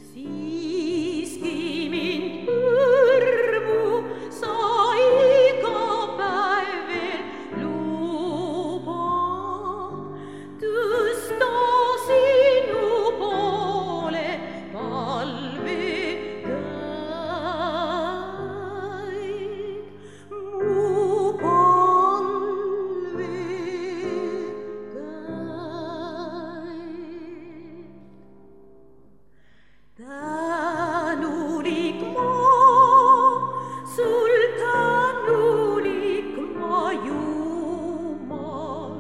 Siiski mind põrmu sa iga päev veel lubad tõsta sinu poole palvekäik. Mu palvekäik. Tänulik maa, sul tänulik maa, Jumal,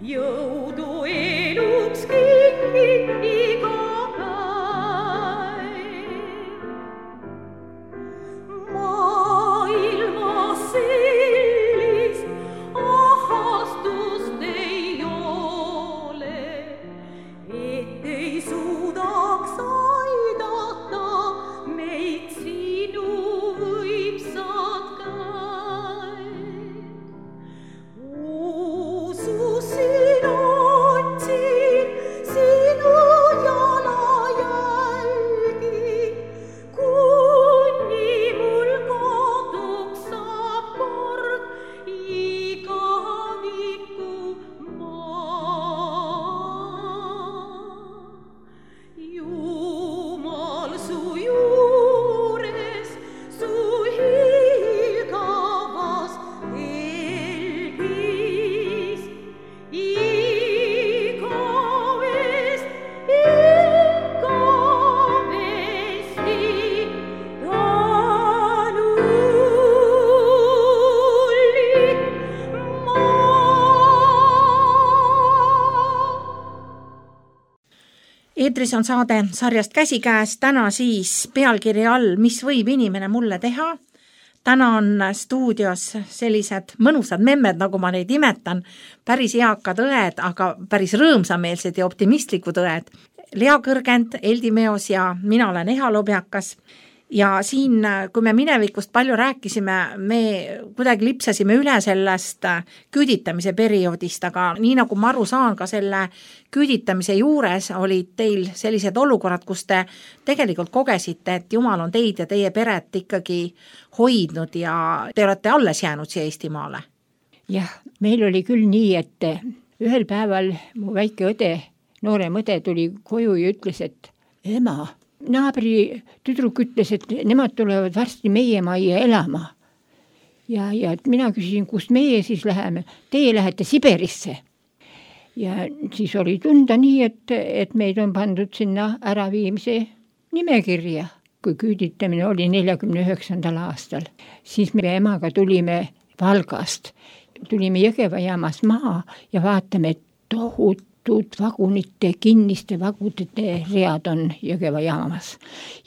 jõudu eluks kingid iga päev. Maailmas sellist ahastust ei ole, et ei suudaks aidata meid sinu võimsad käed. Ususin otsin sinu jalajälgi, kuni mul kaduks saab kord igaviku maa. Jumal su juures, su hiilgavas helgis, igavest, igavesti tänulik maa. Eetris on saade sarjast Käsikäes, täna siis pealkirja all Mis võib inimene mulle teha? Täna on stuudios sellised mõnusad memmed, nagu ma neid imetan, päris eakad õed, aga päris rõõmsameelsed ja optimistlikud õed. Lea Kõrgend, Eldi Meos ja mina olen Eha Lobjakas. Ja siin, kui me minevikust palju rääkisime, me kuidagi lipsasime üle sellest küüditamise perioodist, aga nii nagu ma aru saan, ka selle küüditamise juures olid teil sellised olukorrad, kus te tegelikult kogesite, et Jumal on teid ja teie peret ikkagi hoidnud ja te olete alles jäänud siia Eestimaale. jah, meil oli küll nii, et ühel päeval mu väike õde, noorem õde tuli koju ja ütles, et ema, naabri tüdruk ütles, et nemad tulevad varsti meie majja elama. Ja, ja mina küsisin, kust meie siis läheme? Teie lähete Siberisse. Ja siis oli tunda nii, et, et meid on pandud sinna äraviimise nimekirja. Kui küüditamine oli neljakümne üheksandal aastal, siis me emaga tulime Valgast. Tulime Jõgeva jaamas maha ja vaatame, et tohutud vagunite, kinniste vagudite read on Jõgeva jaamas.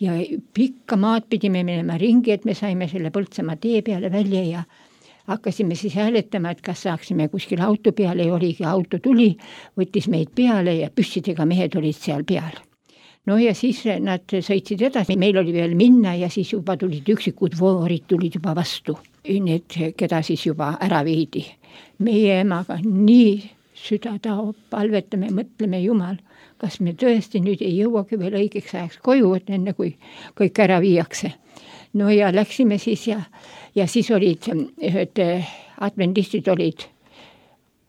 Ja pikka maad pidime minema ringi, et me saime selle Põltsamaa tee peale välja ja hakkasime siis hääletama, et kas saaksime kuskil auto peale ja oligi, auto tuli, võttis meid peale ja püssidega mehed olid seal peal. No ja siis nad sõitsid edasi, meil oli veel minna ja siis juba tulid üksikud voorid, tulid juba vastu. Need, keda siis juba ära viidi. Meie emaga nii süda taob, palvetame, mõtleme, Jumal, kas me tõesti nüüd ei jõuagi veel õigeks ajaks koju, et enne kui kõik ära viiakse. No ja läksime siis ja, ja siis olid ühed adventistid olid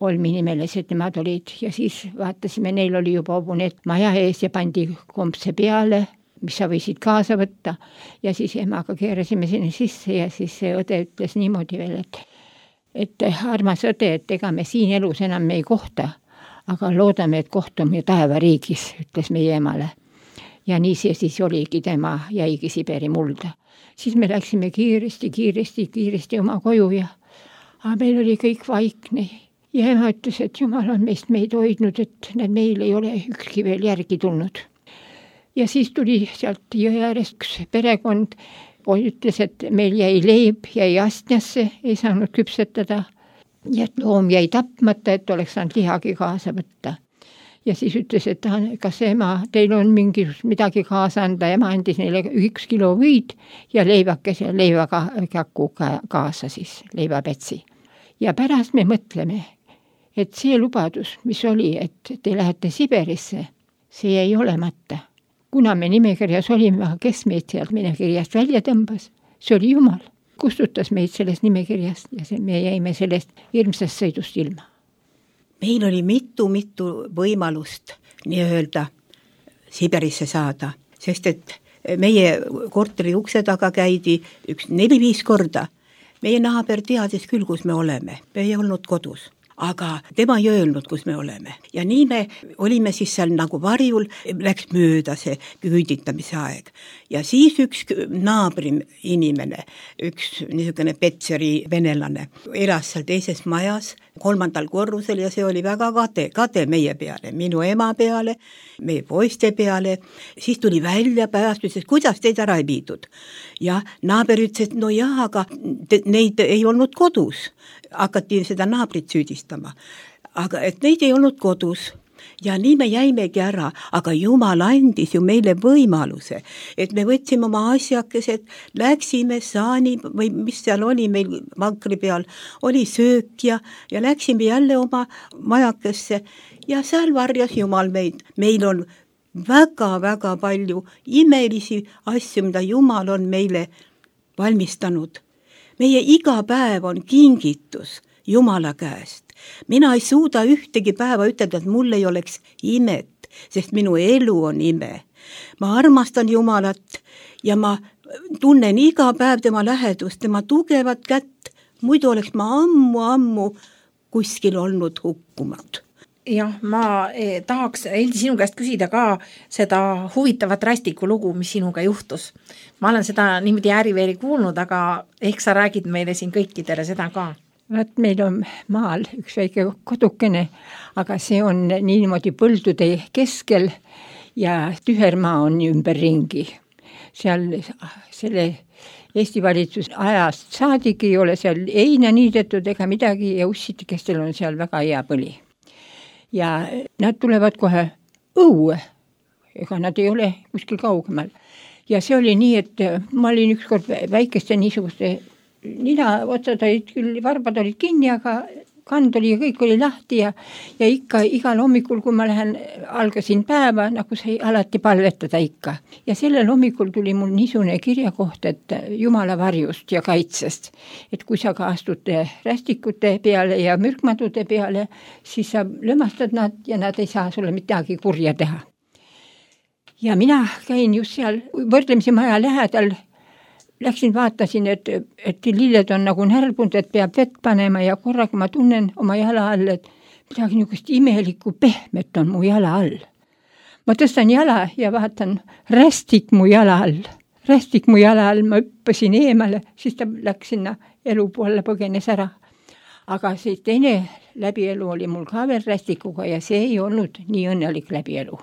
olminimelised, nemad olid ja siis vaatasime, neil oli juba hobuneet maja ees ja pandi kompse peale, mis sa võisid kaasa võtta ja siis emaga keerasime sinna sisse ja siis see õde ütles niimoodi veel, et et armas õde, et ega me siin elus enam me ei kohta, aga loodame, et kohtume taevariigis, ütles meie emale. Ja nii see siis oligi, tema jäigi Siberi mulda. Siis me läksime kiiresti, kiiresti, kiiresti oma koju ja aga meil oli kõik vaikne. Ja ema ütles, et Jumal on meist meid hoidnud, et meil ei ole ükski veel järgi tulnud. ja siis tuli sealt jõe äärest üks perekond, ütles, et meil jäi leib, jäi astjasse, ei saanud küpsetada ja et loom jäi tapmata, et oleks saanud lihagi kaasa võtta. Ja siis ütles, et kas ema, teil on mingi midagi kaasa anda, ema andis neile üks kilo võid ja leivakese leivakäku kaasa siis, leivapätsi. Ja pärast me mõtleme, et see lubadus, mis oli, et te lähete Siberisse, see jäi olemata. Kuna me nimekirjas olime, kes meid sealt nimekirjast välja tõmbas, see oli Jumal. Kustutas meid sellest nimekirjast ja see, me jäime sellest hirmsast sõidust ilma. Meil oli mitu-mitu võimalust nii-öelda Siberisse saada, sest et meie korteri ukse taga käidi üks neli-viis korda. Meie naaber teadis küll, kus me oleme, me ei olnud kodus. Aga tema ei öelnud, kus me oleme. Ja nii me olime siis seal nagu varjul, läks mööda see küüditamise aeg. Ja siis üks naabri inimene, üks niisugune Petseri venelane, elas seal teises majas, kolmandal korrusel ja see oli väga kade, kade meie peale, minu ema peale, meie poiste peale. Siis tuli välja pärast, ütles, kuidas teid ära ei viidud. Ja naaber ütles, et no jah, aga te, neid ei olnud kodus. Hakati seda naabrit süüdistama. Aga et neid ei olnud kodus. Ja nii me jäimegi ära, aga Jumal andis ju meile võimaluse, et me võtsime oma asjakesed, läksime saani või mis seal oli meil vankri peal, oli söök ja, ja läksime jälle oma majakesse ja seal varjas Jumal meid. Meil on väga-väga palju imelisi asju, mida Jumal on meile valmistanud. Meie iga päev on kingitus Jumala käest. Mina ei suuda ühtegi päeva ütelda, et mul ei oleks imet, sest minu elu on ime. Ma armastan Jumalat ja ma tunnen iga päev tema lähedust, tema tugevat kätt. Muidu oleks ma ammu-ammu kuskil olnud hukkunud. Jah, ma eh, tahaks Heldi sinu käest küsida ka seda huvitavat Rästiku lugu, mis sinuga juhtus. Ma olen seda niimoodi ääriveeri kuulnud, aga ehk sa räägid meile siin kõikidele seda ka. Vaat meil on maal üks väike kodukene, aga see on niimoodi põldude keskel ja tühermaa on ümber ringi. Seal selle Eesti valitsus ajast saadik ei ole seal heina niidetud ega midagi ja ussitikestel on seal väga hea põli. Ja nad tulevad kohe õue, ega nad ei ole kuskil kaugemal. Ja see oli nii, et ma olin ükskord väikeste niisuguste nina otsad olid küll, varbad olid kinni, aga kand oli ja kõik oli lahti ja, ja ikka igal hommikul, kui ma lähen, algasin päeva, nagu sai alati palvetada ikka. Ja sellel hommikul tuli mul niisugune kirjakoht, et Jumala varjust ja kaitsest, et kui sa ka astud rästikute peale ja mürkmadude peale, siis sa lömastad nad ja nad ei saa sulle midagi kurja teha. Ja mina käin just seal võrdlemisi maja lähedal, läksin, vaatasin, et, et lilled on nagu närbunud, et peab vett panema ja korraga ma tunnen oma jala all, et midagi niisugust imelikku pehmet on mu jala all. Ma tõstan jala ja vaatan, rästik mu jala all. Rästik mu jala all, ma hüppasin eemale, siis ta läks sinna elu poole, põgenes ära. Aga see teine läbielu oli mul ka veel rästikuga ja see ei olnud nii õnnelik läbielu.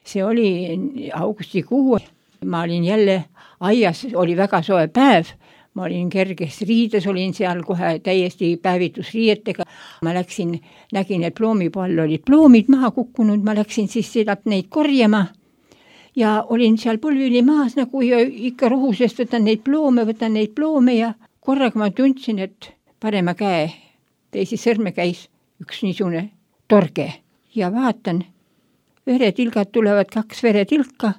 See oli augustikuu. Ma olin jälle aias, oli väga soe päev, ma olin kerges riides, olin seal kohe täiesti päevitusriietega. Ma läksin, nägin, et ploomipoll olid ploomid maha kukkunud, ma läksin siis seda neid korjama ja olin seal põlvili maas nagu ja ikka rohusest võtan neid ploome, võtan neid ploome ja korraga ma tundsin, et parema käe, teisi sõrme käis üks niisugune torge ja vaatan, veretilgad tulevad, kaks veretilka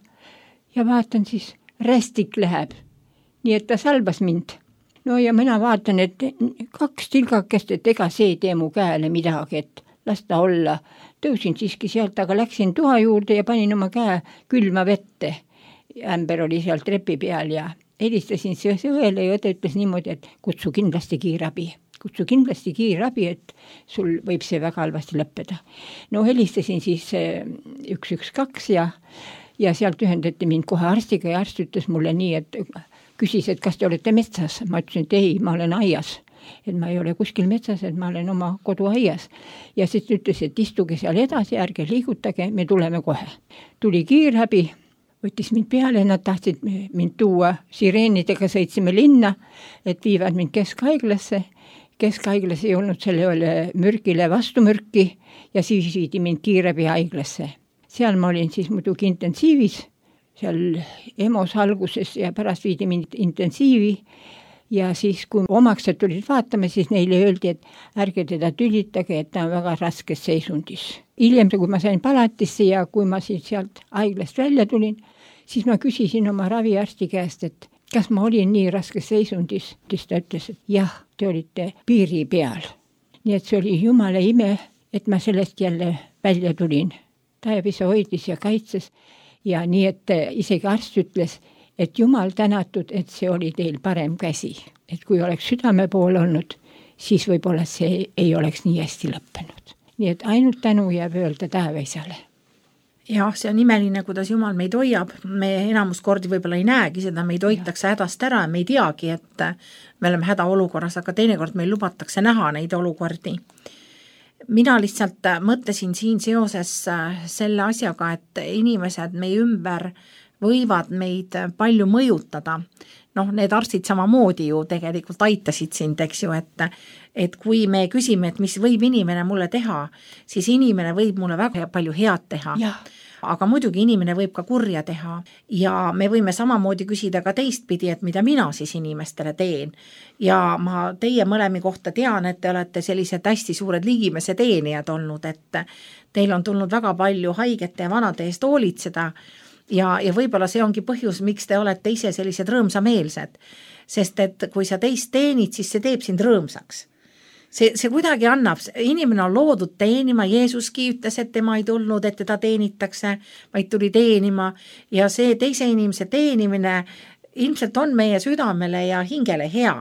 ja vaatan siis, rästik läheb. Nii et ta salbas mind. No ja mina vaatan, et kaks tilgakest, et ega see tee mu käele midagi, et las ta olla. Tõusin siiski sealt, aga läksin tuha juurde ja panin oma käe külma vette. Ämber oli seal trepi peal ja helistasin õele ja õde ütles niimoodi, et kutsu kindlasti kiirabi. Kutsu kindlasti kiirabi, et sul võib see väga halvasti lõppeda. No helistasin siis üks üks kaks ja Ja sealt ühendati mind kohe arstiga ja arst ütles mulle nii, et küsis, et kas te olete metsas. Ma ütlesin, et ei, ma olen aias. Et ma ei ole kuskil metsas, et ma olen oma kodu aias. Ja siis ütles, et istuge seal edasi, ärge liigutage, me tuleme kohe. Tuli kiirabi, võttis mind peale, nad tahtsid mind tuua sireenidega, sõitsime linna, et viivad mind keskhaiglasse. Keskhaiglas ei olnud sellele mürgile vastumürki ja siis viidi mind kiirabihaiglasse. Seal ma olin siis muidugi intensiivis, seal EMO-s alguses ja pärast viidi mind intensiivi ja siis, kui omaksed tulid vaatama, siis neile öeldi, et ärge teda tülitage, et ta on väga raskes seisundis. Hiljem, kui ma sain palatisse ja kui ma siis sealt haiglast välja tulin, siis ma küsisin oma raviarsti käest, et kas ma olin nii raskes seisundis, siis ta ütles, et jah, te olite piiri peal. Nii et see oli jumala ime, et ma sellest jälle välja tulin. Taevisa hoidis ja kaitses ja nii, et isegi arst ütles, et jumal tänatud, et see oli teil parem käsi. Et kui oleks südame pool olnud, siis võib-olla see ei oleks nii hästi lõppenud. Nii et ainult tänu jääb öelda Taevaisale. Jah, see on imeline, kuidas Jumal meid hoiab. Me enamus kordi võib-olla ei näegi seda, meid hoitakse hädast ära ja me ei teagi, et me oleme hädaolukorras, aga teinekord meil lubatakse näha neid olukordi. Mina lihtsalt mõtlesin siin seoses selle asjaga, et inimesed meie ümber võivad meid palju mõjutada. Noh, need arstid samamoodi ju tegelikult aitasid sind, eks ju, et, et kui me küsime, et mis võib inimene mulle teha, siis inimene võib mulle väga palju head teha. Ja. Aga muidugi inimene võib ka kurja teha ja me võime samamoodi küsida ka teistpidi, et mida mina siis inimestele teen. Ja ma teie mõlemi kohta tean, et te olete sellised hästi suured ligimese teenijad olnud, et teil on tulnud väga palju haigete ja vanade eest hoolitseda. Ja, ja võib-olla see ongi põhjus, miks te olete ise sellised rõõmsameelsed. Sest et kui sa teist teenid, siis see teeb sind rõõmsaks. See, see kuidagi annab, inimene on loodud teenima, Jeesuski ütles, et tema ei tulnud, et teda teenitakse, vaid tuli teenima ja see teise inimese teenimine ilmselt on meie südamele ja hingele hea.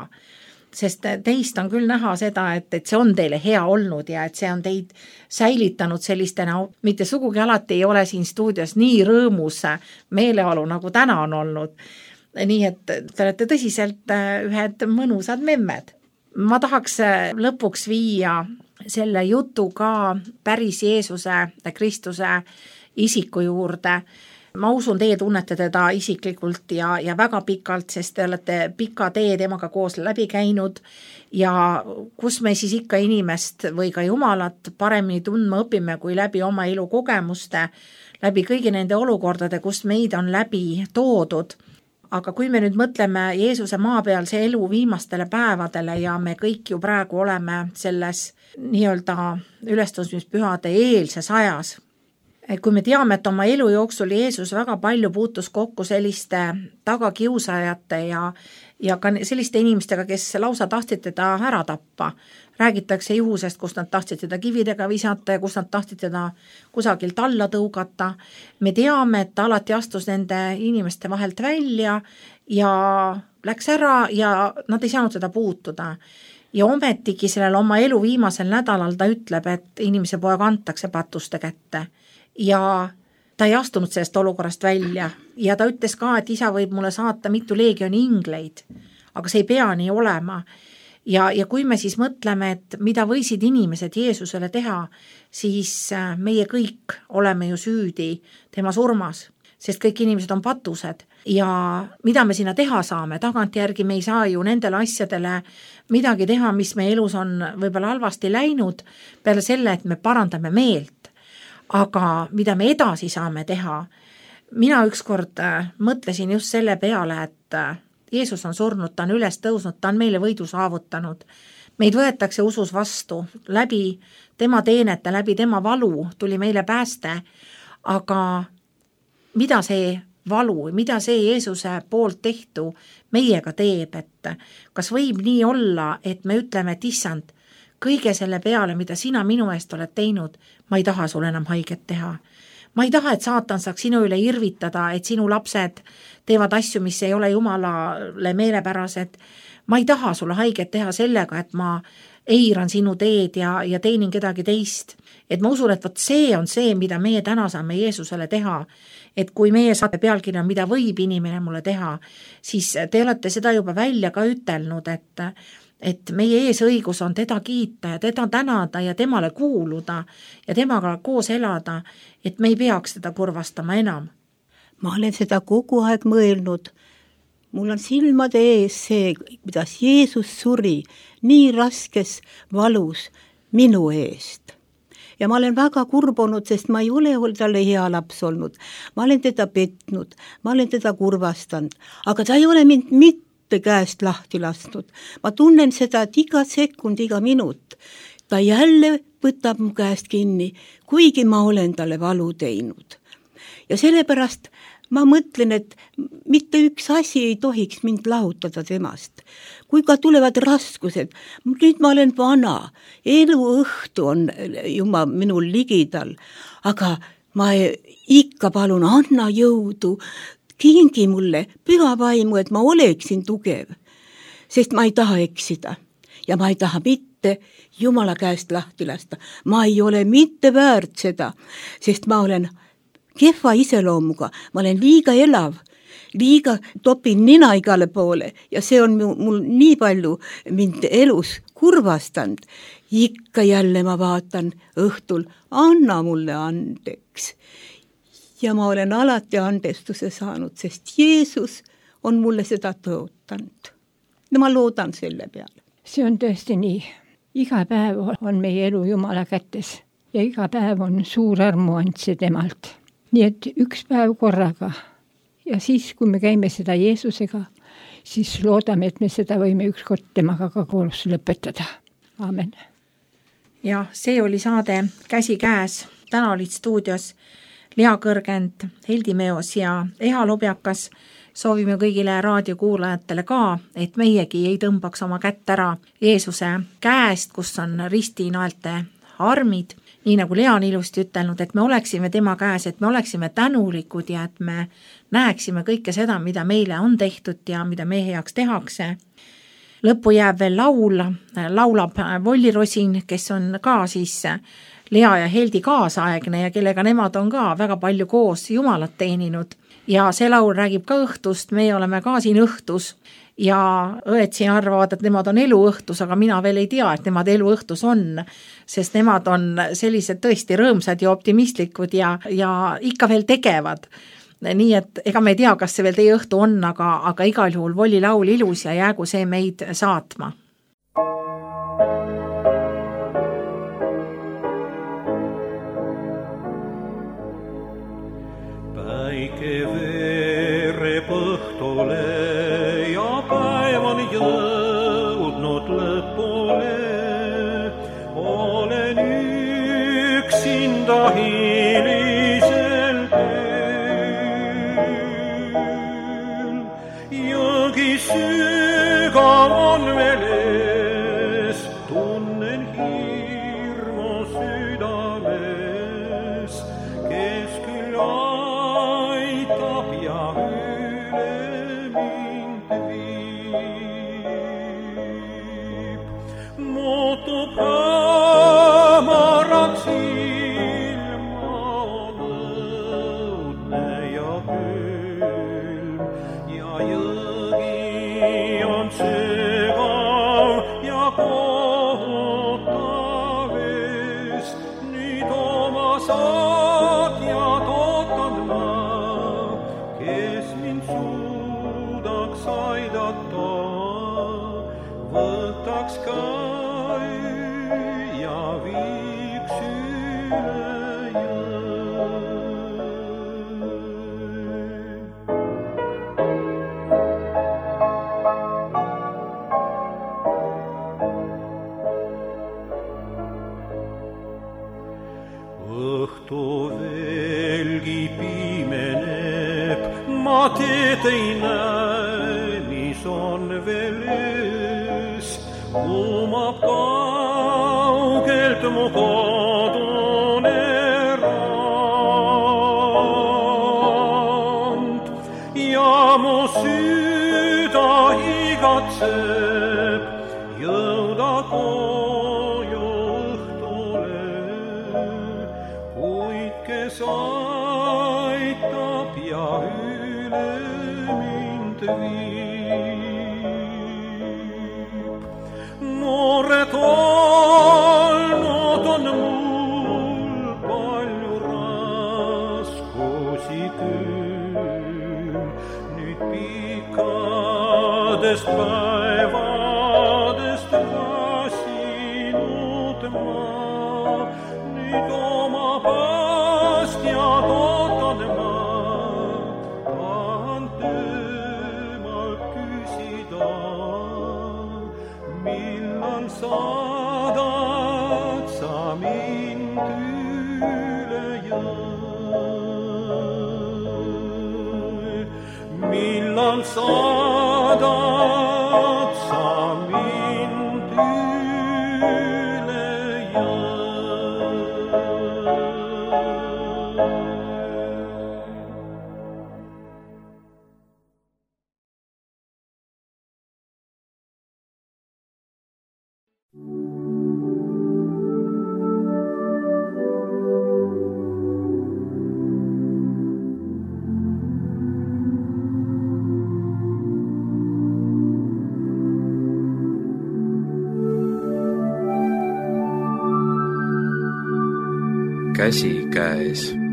Sest teist on küll näha seda, et, et see on teile hea olnud ja et see on teid säilitanud sellistena, mitte sugugi alati ei ole siin stuudios nii rõõmus meeleolu, nagu täna on olnud. Nii et te olete tõsiselt ühed mõnusad memmed. Ma tahaks lõpuks viia selle jutu ka päris Jeesuse, Kristuse isiku juurde. Ma usun, teie tunnete teda isiklikult ja, ja väga pikalt, sest te olete pika tee temaga koos läbi käinud ja kus me siis ikka inimest või ka Jumalat paremini tundma õpime, kui läbi oma elu kogemuste, läbi kõigi nende olukordade, kus meid on läbi toodud. Aga kui me nüüd mõtleme Jeesuse maapealse elu viimastele päevadele ja me kõik ju praegu oleme selles nii-öelda ülestõusmispühade eelses ajas, kui me teame, et oma elu jooksul Jeesus väga palju puutus kokku selliste tagakiusajate ja, ja ka selliste inimestega, kes lausa tahtsid teda ära tappa. Räägitakse juhusest, kus nad tahtsid teda kividega visata ja kus nad tahtsid teda kusagilt alla tõugata. Me teame, et ta alati astus nende inimeste vahelt välja ja läks ära ja nad ei saanud seda puutuda. Ja ometigi sellel oma elu viimasel nädalal ta ütleb, et inimese poeg antakse patuste kätte. Ja ta ei astunud sellest olukorrast välja ja ta ütles ka, et isa võib mulle saata mitu leegioni ingleid, aga see ei pea nii olema. Ja, ja kui me siis mõtleme, et mida võisid inimesed Jeesusele teha, siis meie kõik oleme ju süüdi tema surmas, sest kõik inimesed on patused ja mida me sinna teha saame, tagantjärgi me ei saa ju nendele asjadele midagi teha, mis meie elus on võib-olla halvasti läinud, peale selle, et me parandame meelt. Aga mida me edasi saame teha? Mina ükskord mõtlesin just selle peale, et Jeesus on surnud, ta on üles tõusnud, ta on meile võidu saavutanud. Meid võetakse usus vastu, läbi tema teenete, läbi tema valu tuli meile pääste, aga mida see valu, mida see Jeesuse poolt tehtu meiega teeb, et kas võib nii olla, et me ütleme, et issand, kõige selle peale, mida sina minu eest oled teinud, ma ei taha sulle enam haiget teha. Ma ei taha, et saatan saaks sinu üle irvitada, et sinu lapsed teevad asju, mis ei ole Jumalale meelepärased. Ma ei taha sulle haiget teha sellega, et ma eiran sinu teed ja, ja teenin kedagi teist. Et ma usun, et võt see on see, mida meie täna saame Jeesusele teha. Et kui meie saate pealkirja, mida võib inimene mulle teha, siis te olete seda juba välja ka ütelnud, et et meie eesõigus on teda kiita ja teda tänada ja temale kuuluda ja temaga koos elada, et me ei peaks teda kurvastama enam. ma olen seda kogu aeg mõelnud. Mul on silmade ees see, kuidas Jeesus suri nii raskes valus minu eest. Ja ma olen väga kurb olnud, sest ma ei ole olnud talle hea laps olnud. Ma olen teda petnud, ma olen teda kurvastanud, aga ta ei ole mind mitte käest lahti lasknud. Ma tunnen seda, et iga sekund, iga minut ta jälle võtab mu käest kinni, kuigi ma olen talle valu teinud. Ja sellepärast ma mõtlen, et mitte üks asi ei tohiks mind lahutada temast. Kui ka tulevad raskused, nüüd ma olen vana, elu õhtu on juba minul ligidal, aga ma ikka palun, anna jõudu, kingi mulle püha vaimu, et ma oleksin tugev, sest ma ei taha eksida ja ma ei taha mitte Jumala käest lahti lasta. Ma ei ole mitte väärt seda, sest ma olen kehva iseloomuga, ma olen liiga elav, liiga topin nina igale poole ja see on mul nii palju mind elus kurvastanud. Ikka jälle ma vaatan õhtul, anna mulle andeks. Ja ma olen alati andestuse saanud, sest Jeesus on mulle seda tõotanud. Ja ma loodan selle peale. See on tõesti nii. Iga päev on meie elu Jumala kätes ja iga päev on suur armuandse temalt. Nii et üks päev korraga ja siis, kui me käime seda Jeesusega, siis loodame, et me seda võime ükskord temaga ka koos lõpetada. Aamen. Ja see oli saade Käsi käes. Täna olid stuudios Lea Kõrgend, Heldi Meos ja Eha Lobjakas. Soovime kõigile raadiokuulajatele ka, et meiegi ei tõmbaks oma kätt ära Jeesuse käest, kus on ristinaelte armid. Nii nagu Lea on ilusti ütelnud, et me oleksime tema käes, et me oleksime tänulikud ja et me näeksime kõike seda, mida meile on tehtud ja mida meie heaks tehakse. Lõppu jääb veel laul, laulab Volli Rosin, kes on ka siis Lea ja Heldi kaasaegne ja kellega nemad on ka väga palju koos Jumalat teeninud. Ja see laul räägib ka õhtust, meie oleme ka siin õhtus ja õed siin arvavad, et nemad on elu õhtus, aga mina veel ei tea, et nemad elu õhtus on, sest nemad on sellised tõesti rõõmsad ja optimistlikud ja, ja ikka veel tegevad. Nii et ega me ei tea, kas see veel teie õhtu on, aga, aga igal juhul Volli laul ilus ja jäägu see meid saatma. Päike veereb õhtule ja päev on jõudnud lõpule. Olen üksinda hilisel teel. Jõgi sügav on veel ees, tunnen hirmu südames, kes küll aitab ja üle mind viib. Muutub hämaraks ilma õudne ja külm ja jõgi on sügav ja kohutav ees. Nüüd oma saatjad ootan ma, kes mind suudaks aidata, võtaks käe ja viiks üle jõe. Õhtu veelgi pimeneb, ma teed ei näe, mis on veel ees. Kumab kaugelt mu kodune rand ja mu süda igatseb jõuda koju õhtule, kuid kes aitab ja üle mind viib. Noored olnud on mul palju raskusi küll, pikkadest päevadest väsinud ma, nüüd oma päästjad ootan ma, tahan temalt küsida, millal saadad sa mind üle jõe, millal saadad sa mind üle jõe. Käsikäes.